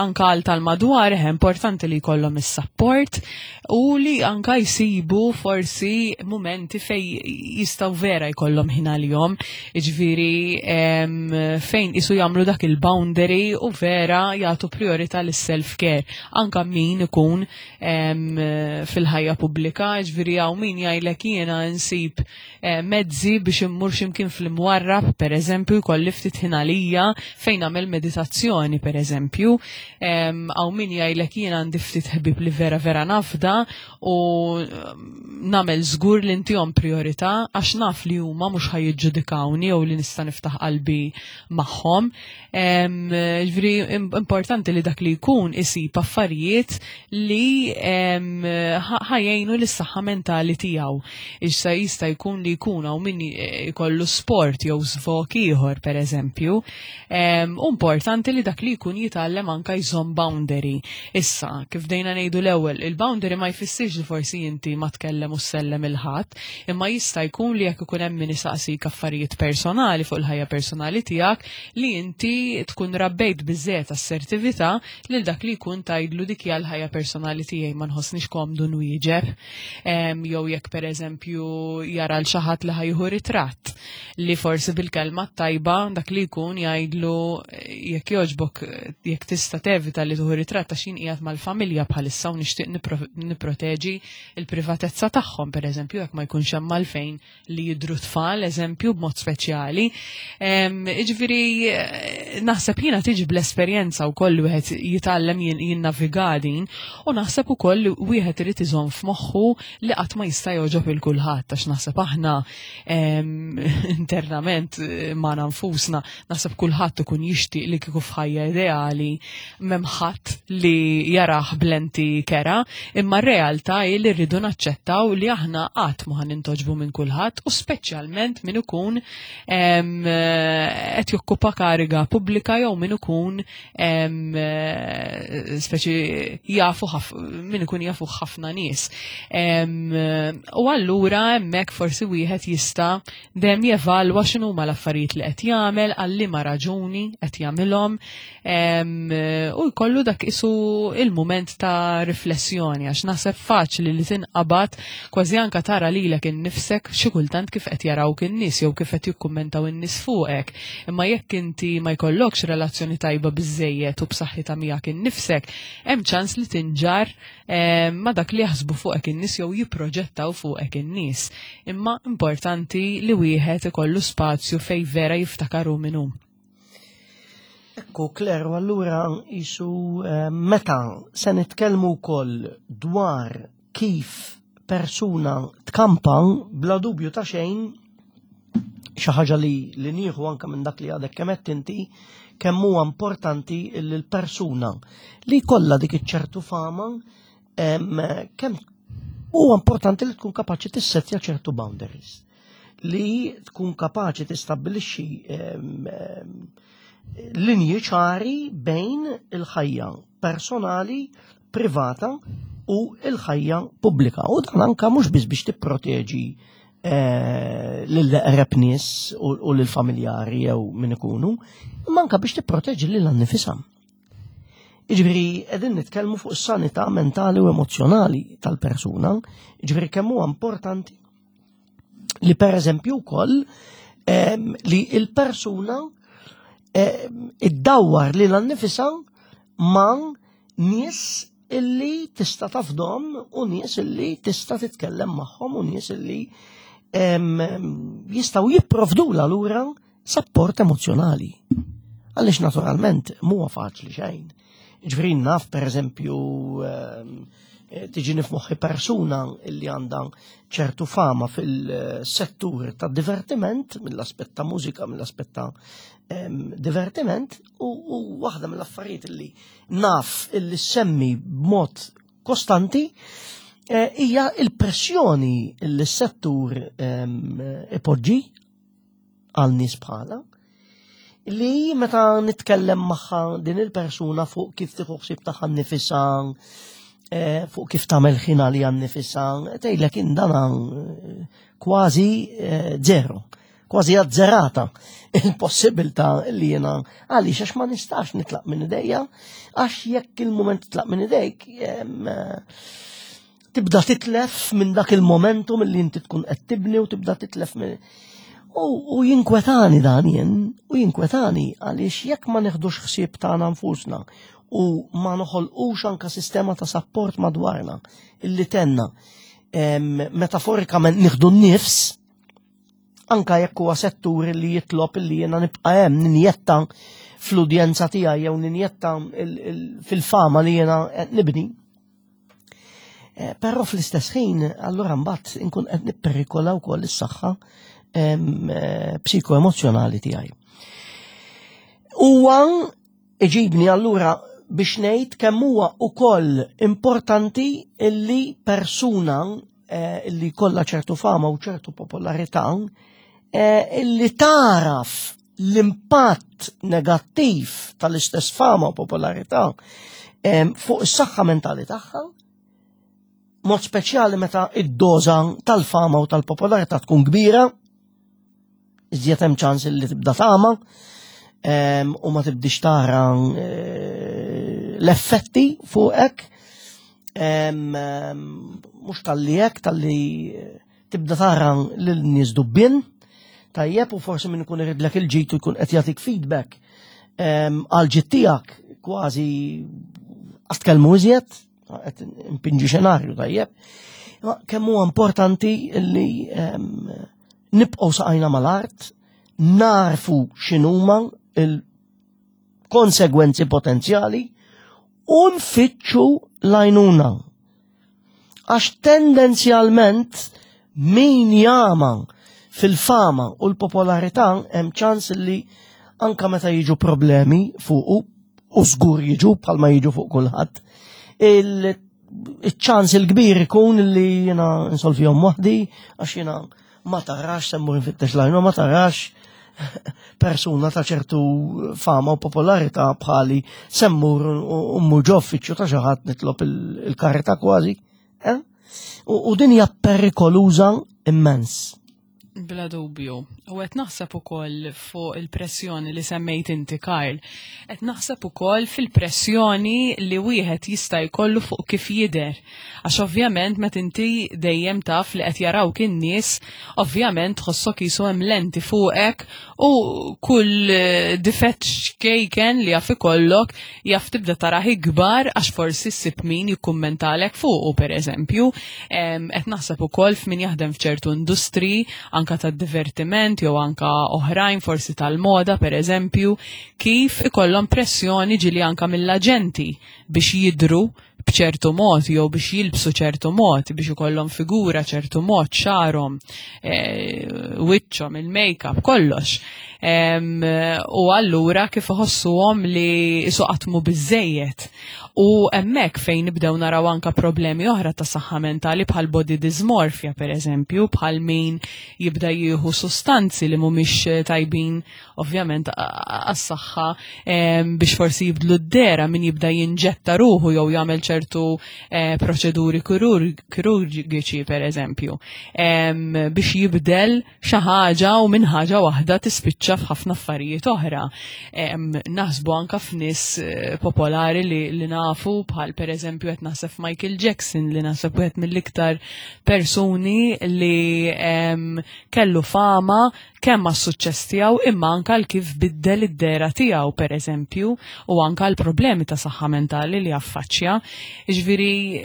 anka għal tal-madwar, eh, importanti li jkollhom is-support u li anka jsibu forsi momenti fej jistaw vera jkollhom ħin għalihom, iġviri fejn isu jagħmlu dak il-boundary u vera jagħtu priorità lis-self-care. Anka min ikun fil-ħajja pubblika, ġviri hawn min jgħidlek jiena nsib eh, mezzi biex immur x'imkien fl-imwarrab, per eżempju, jkolli ftit ħin għalija fejn nagħmel meditazzjoni, per eżempju, hawn min jgħidlek jiena għandi ftit ħbib li vera vera nafda u nagħmel żgur li ntihom priorità għax naf li huma mhux ħajjiġġudikawni jew li nista' niftaħ qalbi magħhom. Ġifieri importanti li dak li jkun isib affarijiet li ħajjejnu lis-saħħa mentali tiegħu. Issa jista' jkun li jkun hawn min jkollu sport jew żvok ieħor pereżempju. Importanti li dak li jkun jitgħallem anka jżomm boundary. Issa, kif dejna ngħidu l-ewwel, il-boundary ma jfissirx li forsi inti ma tkellem u ssellem il-ħadd, imma jista' jkun li jekk ikun hemm min isaqsik affarijiet personali fuq il-ħajja personali tiegħek, li inti tkun rabbejt biżżejjed assertività lil dak li jkun tgħidlu dik hija l-ħajja personali tiegħi ma nħossnix komdu nwieġeb. Jew jekk pereżempju jara l xi ħadd li ħajħu ritratt li forsi bil-kelma tajba dak li jkun jgħidlu jekk jogħġbok jekk tista' tevita li tuħu ritratt għax jien qiegħed mal-familja bħalissa u nixtieq nipproteġi l-privatezza tagħhom pereżempju jekk ma jkunx hemm għalfejn li jidru tfal, eżempju, b'mod speċjali. Iġviri, naħseb jiena tiġi bl-esperjenza wkoll wieħed jitgħallem jinnaviga din u naħseb ukoll li wieħed irid iżomm f'moħħu li qatt ma jista' jogħġob il kulħadd għax naħseb aħna internament eh, ma nfusna naħseb kulħadd ikun jixtieq li kieku f'ħajja ideali m'hemm ħadd li jarah blenti kera, imma r-realtà hi li rridu naċċettaw li aħna qatt ma nintoġbu minn kulħadd u speċjalment min ikun qed jokkupa kariga pubblika jew min ikun speċi jafu min ikun jafu ħafna nies. U allura hemmhekk forsi wieħed jista' dejjem jevalwa x'inhuma l-affarijiet li qed jagħmel, għal liema raġuni qed jagħmilhom u jkollu dak isu il-mument ta' riflessjoni għax naħseb faċli li tinqabad kważi anka tara lilek innifsek xi kultant kif qed jarawk in-nies jew kif qed jikkummentaw in-nies fuqek. Imma jekk inti ma jkollokx relazzjoni tajba biżejjed u b'saħħitha miegħek innifsek, hemm ċans li tinġar ma dak li jaħsbu fuqek in-nies jew jipproġettaw fuqek in-nies. Imma importanti li wieħed ikollu spazju fej vera jiftakar hu min hu. Ekku, Claire, u allura jisu eh, meta se nitkellmu wkoll dwar kif persuna tkampa bla dubju ta' xejn xi ħaġa li li nieħu anke minn dak li għadek kemm qed inti kemm huwa importanti li l-persuna li jkollha dik iċ-ċertu fama kemm huwa importanti li tkun kapaċi tissettja ċertu boundaries li tkun kapaċi tistabbilixxi linji ċari bejn il-ħajja personali, privata u il-ħajja pubblika. U dan anka mhux biss biex tipproteġi eh, lill-eqreb nies u lill-familjari jew min ikunu, imma anka biex tipproteġi lil annifisha. Jiġifieri qegħdin nitkellmu fuq is-sanità mentali u emozzjonali tal-persuna, jiġifieri kemm huwa importanti li pereżempju wkoll ehm, li il-persuna ehm, iddawwar lil annifisha ma' nies illi tista' tafdom u nies illi tista' titkellem magħhom u nies illi jistgħu jipprovdula lura sapport emozjonali. Għaliex naturalment mhuwa faċli xejn. Ġifieri naf pereżempju Tiġini f'moħħi persuna li għandha ċertu fama fil-settur ta' divertiment, mill-aspett ta' mużika, mill-aspett ta' divertiment, u waħda mill-affarijiet li naf illi semmi b'mod kostanti hija il-pressjoni li s-settur ipoġġi għal nies bħala li meta nitkellem magħha din il-persuna fuq kif tieħu ħsieb tagħha nnifisha, fuq kif tagħmel ħin għaliha nnifisha, tgħidlek indana kważi zero, kważi azzerata il-possibilità li jiena għaliex għax ma nistax nitlaq minn idejja, għax jekk il-mument titlaq minn idejk tibda titlef minn dak il-momentum li inti tkun qed tibni u tibda titlef minn U jinkwetani dan jien, u jinkwetani għaliex jekk ma neħdux ħsieb tagħna nfusna u ma noħolqux anka sistema ta' sapport madwarna illi tenna metaforikament nieħdu n-nifs anka jekk huwa settur li jitlob illi jiena nibqa' hemm ninjetta fl-udjenza tiegħi jew ninjetta fil-fama li jiena qed nibni. Però fl-istess ħin, allura mbagħad inkun qed nipperikola wkoll is-saħħa psikoemozzjonali tiegħi. Huwa iġibni allura biex ngħid kemm huwa ukoll importanti illi persuna illi kollha ċertu fama u ċertu popolarità illi taraf l-impatt negattiv tal-istess fama u popolarità fuq is-saħħa mentali tagħha, mod speċjali meta id-doża tal-fama u tal-popolarità tkun kbira, iżjed hemm ċans li tibda tama u ma tibdix tara l-effetti fuqek, mhux talli hekk, talli tibda tara lil nies dubbien, tajjeb u forsi min ikun iridlek il-ġid u jkun qed jagħtik feedback għal ġid tiegħek kważi għas tkellmu iżjed, qed impinġi xenarju tajjeb. Ma kemm huwa importanti li nibqgħu saqajna mal-art, narfu x'inhuma il-konsegwenzi potenzjali u nfittxu l-għajnuna. Għax tendenzjalment min jama fil-fama u l-popolarità hemm ċans li anka meta jiġu problemi fuqu u żgur jiġu bħalma jiġu fuq kulħadd, il-ċans il-kbir ikun li jiena nsolvihom waħdi għax jiena ma tarax semmur nfittex lajnu, ma tarax persuna ta' ċertu fama u popolarità bħali semmur u mmur ġo uffiċċju ta' xi ħadd nitlob il-karità kważi. Eh? U din hija perikoluża immens. Bla dubju. U qed naħseb ukoll fuq il-pressjoni li semmejt inti, Karl. Qed naħseb ukoll fil-pressjoni li wieħed jista' jkollu fuq kif jidher. Għax ovvjament meta inti dejjem taf li qed jarawk in-nies, ovvjament tħossok qisu hemm lenti fuqek u kull difett xkejken li jaf ikollok jaf tibda tarah ikbar għax forsi ssib min jikkummentalek fuqu pereżempju. Qed naħseb ukoll f'min jaħdem f'ċertu industri anka tad-divertiment jew anka oħrajn forsi tal-moda pereżempju, kif ikollhom pressjoni ġieli anka mill-aġenti biex jidhru b'ċertu mod jew biex jilbsu ċertu mod, biex ikollhom figura ċertu mod, xagħarhom, wiċċhom, il-make-up, kollox. U allura kif iħossuhom li isu qatt mhu biżżejjed. U hemmhekk fejn nibdew naraw anka problemi oħra ta' saħħa mentali bħal body dysmorphia pereżempju, bħal min jibda jieħu sustanzi li mhumiex tajbin ovvjament għas-saħħa biex forsi jibdlu d-dera, min jibda jinġetta ruħu jew jagħmel ċertu proċeduri kirurgiċi pereżempju, biex jibdel xi ħaġa u minn ħaġa waħda tispiċċa f'ħafna affarijiet oħra. Naħsbu anka f'nies popolari li nafu bħal pereżempju qed naħseb Michael Jackson li naħseb wieħed mill-iktar persuni li kellu fama kemm għas-suċċess tiegħu imma anke għal kif biddel id-dehra tiegħu pereżempju u anke għal problemi ta' saħħa mentali li affaċċja. Ġifieri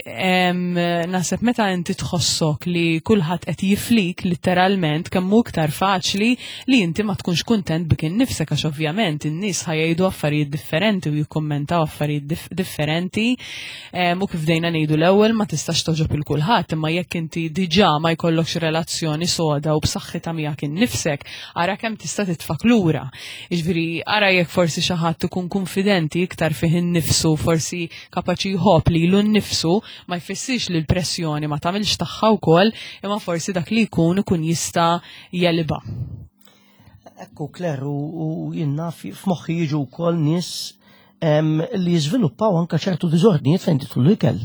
naħseb meta inti tħossok li kulħadd qed jiflik litteralment kemm hu iktar faċli li inti ma tkunx kuntent bik innifsek għax ovvjament in-nies ħajjgħidu affarijiet differenti u jikkummentaw affarijiet differenti u kif dejna ngħidu l-ewwel ma tistax toġob il kulħadd imma jekk inti diġà ma jkollokx relazzjoni soda u b'saħħitha miegħek innifsek ara kemm tista' titfak lura. Jiġifieri ara jekk forsi xi ħadd ikun kunfidenti iktar fih innifsu, forsi kapaċi jħobb lilu nnifsu, ma jfissirx li l-pressjoni ma tagħmilx tagħha wkoll, imma forsi dak li jkun ikun jista' jelibha. Ekku Claire u jien naf f'moħħi jiġu wkoll nies li jiżviluppaw anke ċertu diżordnijiet fejn tidħol l-ikel.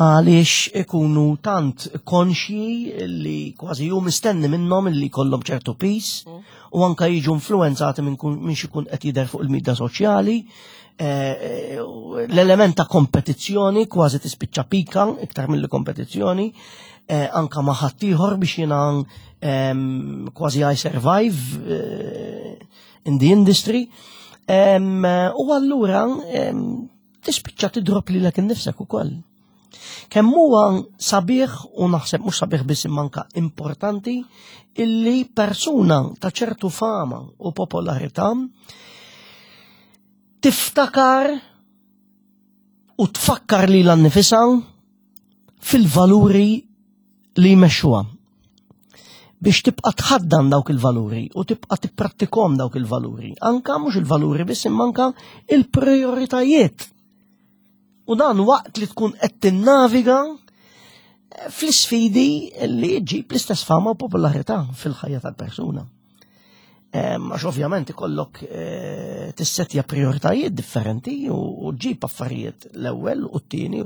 Għaliex ikunu tant konxji li kważi ju mistenni minnhom li jkollhom ċertu pis u anka jiġu influenzati minn min xikun qed jidher fuq il-midja soċjali. L-element ta' kompetizzjoni kważi tispiċċa pika iktar mill kompetizzjoni anka ma' ħaddieħor biex jiena kważi I survive in the industry. U allura tispiċċa tidrob lilek innifsek ukoll. Kemm huwa sabiħ u naħseb mhux sabiħ biss imma anka importanti illi persuna ta' ċertu fama u popolarità tiftakar u tfakkar lilha nnifisha fil-valuri li jmexxuha biex tibqa' tħaddan dawk il-valuri u tibqa' tipprattikhom dawk il-valuri. Anka mhux il-valuri biss imma anka il-prioritajiet. U dan waqt li tkun qed tinnaviga eh, fl-isfidi li ġib l-istess fama u popolarità fil-ħajja tal-persuna. Għax ovvjament ikollok eh, tissetja prioritajiet differenti u ġib affarijiet l-ewwel u t-tieni.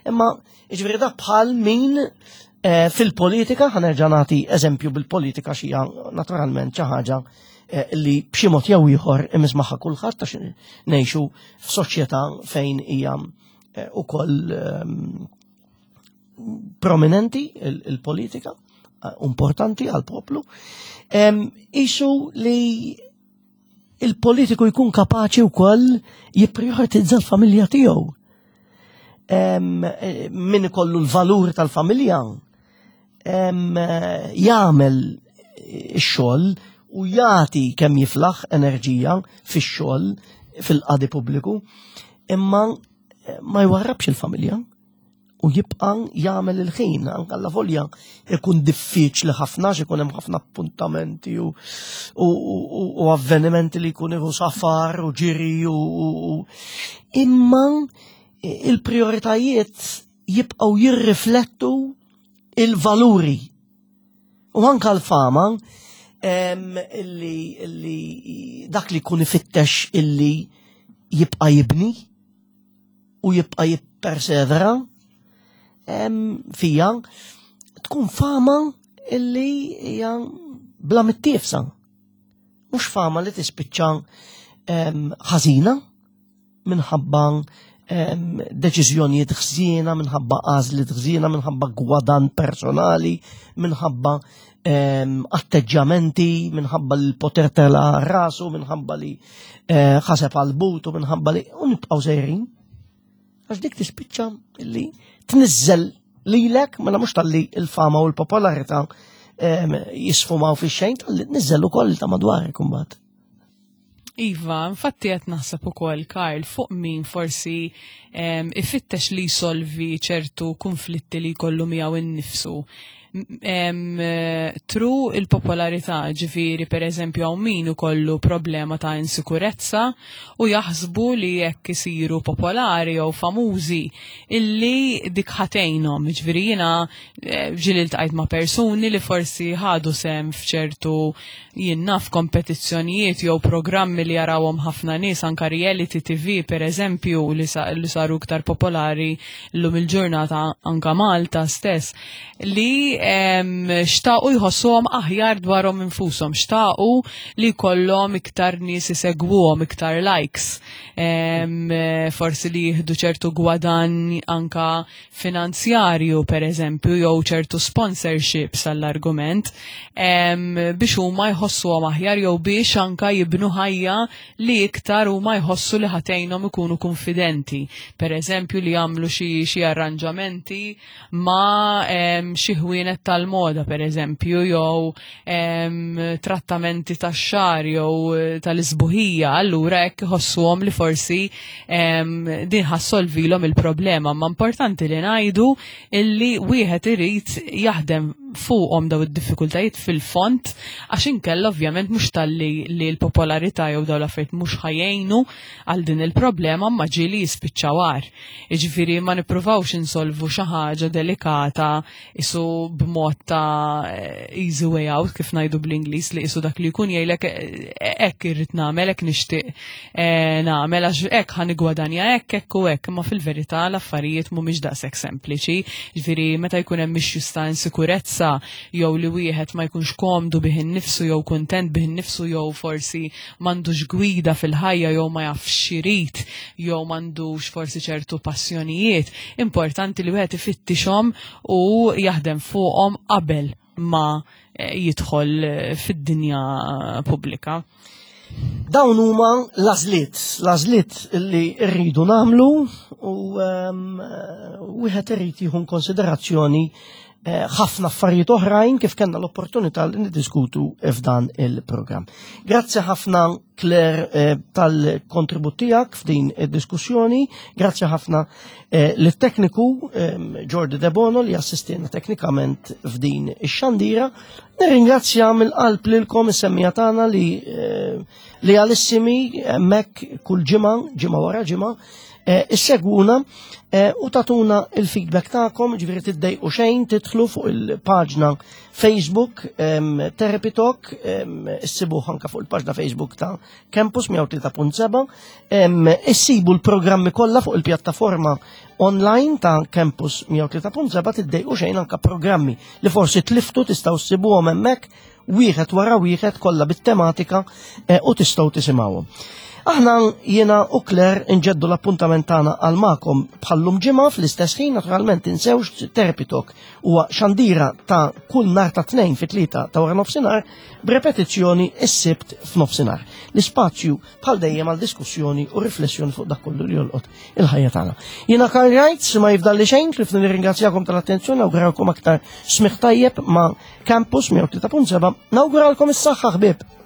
Imma jiġifieri dak bħal min eh, fil-politika, ħanerġa' nagħti eżempju bil-politika xija naturalment xi ħaġa eh, li b'xi mod jew ieħor imiss magħha kulħadd għax ngħixu f'soċjetà fejn hija ukoll ehm, prominenti il-politika, eh, importanti għal poplu, isu li il-politiku jkun kapaċi wkoll jipprioritizza l-familja tiegħu. Eh, min ikollu l-valur tal-familja eh, jagħmel ix-xogħol u jagħti kemm jiflaħ enerġija fix-xogħol fil-qadi pubbliku, imma ma jwarrabx il-familja u jibqa' jagħmel il-ħin anke alla volja ikun diffiċli ħafna għax ikun hemm ħafna appuntamenti u, u, u, u avvenimenti li jkun iħu safar u ġiri u, u imma il-prioritajiet jibqgħu jirriflettu il-valuri u anka l-fama illi, illi dak li jkun ifittex illi jibqa' jibni u jibqa' jippersevera fija tkun fama illi hija bla mittiefsa. Mhux fama li tispiċċa ħażina minħabba deċiżjonijiet ħżiena, minħabba għażliet ħżiena, minħabba gwadan personali, minħabba atteġġjamenti, minħabba l-poter tela rasu, minħabba li eh, ħaseb għal butu, minħabba li u nibqgħu sejrin. Għax dik tispiċċa li tniżżel lilek, mela mhux talli il-fama u l-popolarità jisfumaw fix-xejn, talli tniżżel ukoll ta' madwarek imbagħad. Iva, infatti qed naħseb ukoll Karl fuq min forsi ifittex li jsolvi ċertu konflitti li jkollu miegħu innifsu. Tru il-popolarità, ġifieri per eżempju hawn min ikollu problema ta' insikurezza u jaħsbu li jekk isiru popolari jew famużi illi dik ħatejnhom. Ġifieri jiena eh, ġieli ltqajt ma' persuni li forsi ħadu sem f'ċertu jien naf kompetizzjonijiet jew programmi li jarawhom ħafna nies anka reality TV per eżempju li, sa, li saru iktar popolari llum il-ġurnata anka Malta stess li xtaqu jħossuhom aħjar dwarhom infushom, xtaqu li jkollhom iktar nies isegwuhom, iktar likes, forsi li jieħdu ċertu gwadann anka finanzjarju per eżempju jew ċertu sponsorships għall-argument biex huma jħossuhom aħjar jew biex anka jibnu ħajja li iktar huma jħossu li ħatejnhom ikunu konfidenti. Per eżempju li jagħmlu xi arranġamenti ma' xi ħwienet tal-moda per eżempju jew trattamenti tax-xagħar jew eh, tal-isbuħija, allura hekk iħossuhom li forsi din ħassolvilhom il-problema. Ma importanti li ngħidu illi wieħed irid jaħdem fuqhom daw id-diffikultajiet fil-font għax inkella ovvjament mhux talli li l-popolarità jew daw l-affarijiet mhux ħajjejnu għal din il-problema ma ġieli jispiċċaw agħar. Jiġifieri ma nippruvawx insolvu xi ħaġa delikata isu b'mod ta' easy way out kif ngħidu bl-Ingliż li isu dak li jkun jgħidlek eh, hekk irrid nagħmel, hekk nixtieq eh, nagħmel għax hekk ħa nigwadanja hekk hekk u hekk, imma fil-verità l-affarijiet mhumiex daqshekk sempliċi. Ġifieri meta jkun hemm issues ta' insikurezza jew li wieħed ma jkunx komdu bih innifsu jew kuntent bih innifsu jew forsi m'għandux gwida fil-ħajja jew ma jafx x'irid jew m'għandux forsi ċertu passjonijiet, importanti li wieħed ifittixhom u jaħdem fuqhom qabel ma eh, jidħol eh, fid-dinja pubblika. Dawn huma l-għażliet, l-għażliet li rridu nagħmlu u ehm, wieħed irid jieħu konsiderazzjoni eh, ħafna affarijiet oħrajn kif kellna l-opportunità li niddiskutu f'dan il-programm. Grazzi ħafna Claire eh, tal-kontribut tiegħek f'din id-diskussjoni, grazzi ħafna eh, lit-tekniku ehm, Jordi Debono li assistina teknikament f'din ix-xandira. Nirringrazzja mill-qalb lilkom is-semmija tagħna li eh, li għalissimi hemmhekk kull ġimgħa, ġimgħa wara ġimgħa, eh, issegwuna eh, u tatuna il-feedback tagħkom, ġifieri tiddejqu xejn tidħlu fuq il-paġna Facebook Therapy Talk, issibuh anka fuq il-paġna Facebook ta' Campus 103.7, issibu l-programmi kollha fuq il-pjattaforma online ta' Campus 103.7 tiddejqu xejn anka programmi li forsi tliftu tistgħu ssibuhom hemmhekk wieħed wara wieħed kollha bit-tematika eh, u tistgħu tisimgħuhom. Aħna jiena u Claire nġeddu l-appuntament tagħna għal magħkom bħallum ġimgħa fl-istess ħin naturalment tinsewx Therapy Talk huwa xandira ta' kull nhar ta' tnejn fit-tlieta ta' wara nofsinhar b'repetizzjoni s-sibt f'nofsinhar. L-ispazju bħal dejjem għal diskussjoni u riflessjoni fuq dak kollu li jolqot il-ħajja tagħna. Jiena Karl Wright ma jifdalli xejn tlif nirringrazzjakom tal-attenzjoni awguralkom aktar smigħ tajjeb ma' Campus 103.7 nawguralkom is-saħħa ħbieb.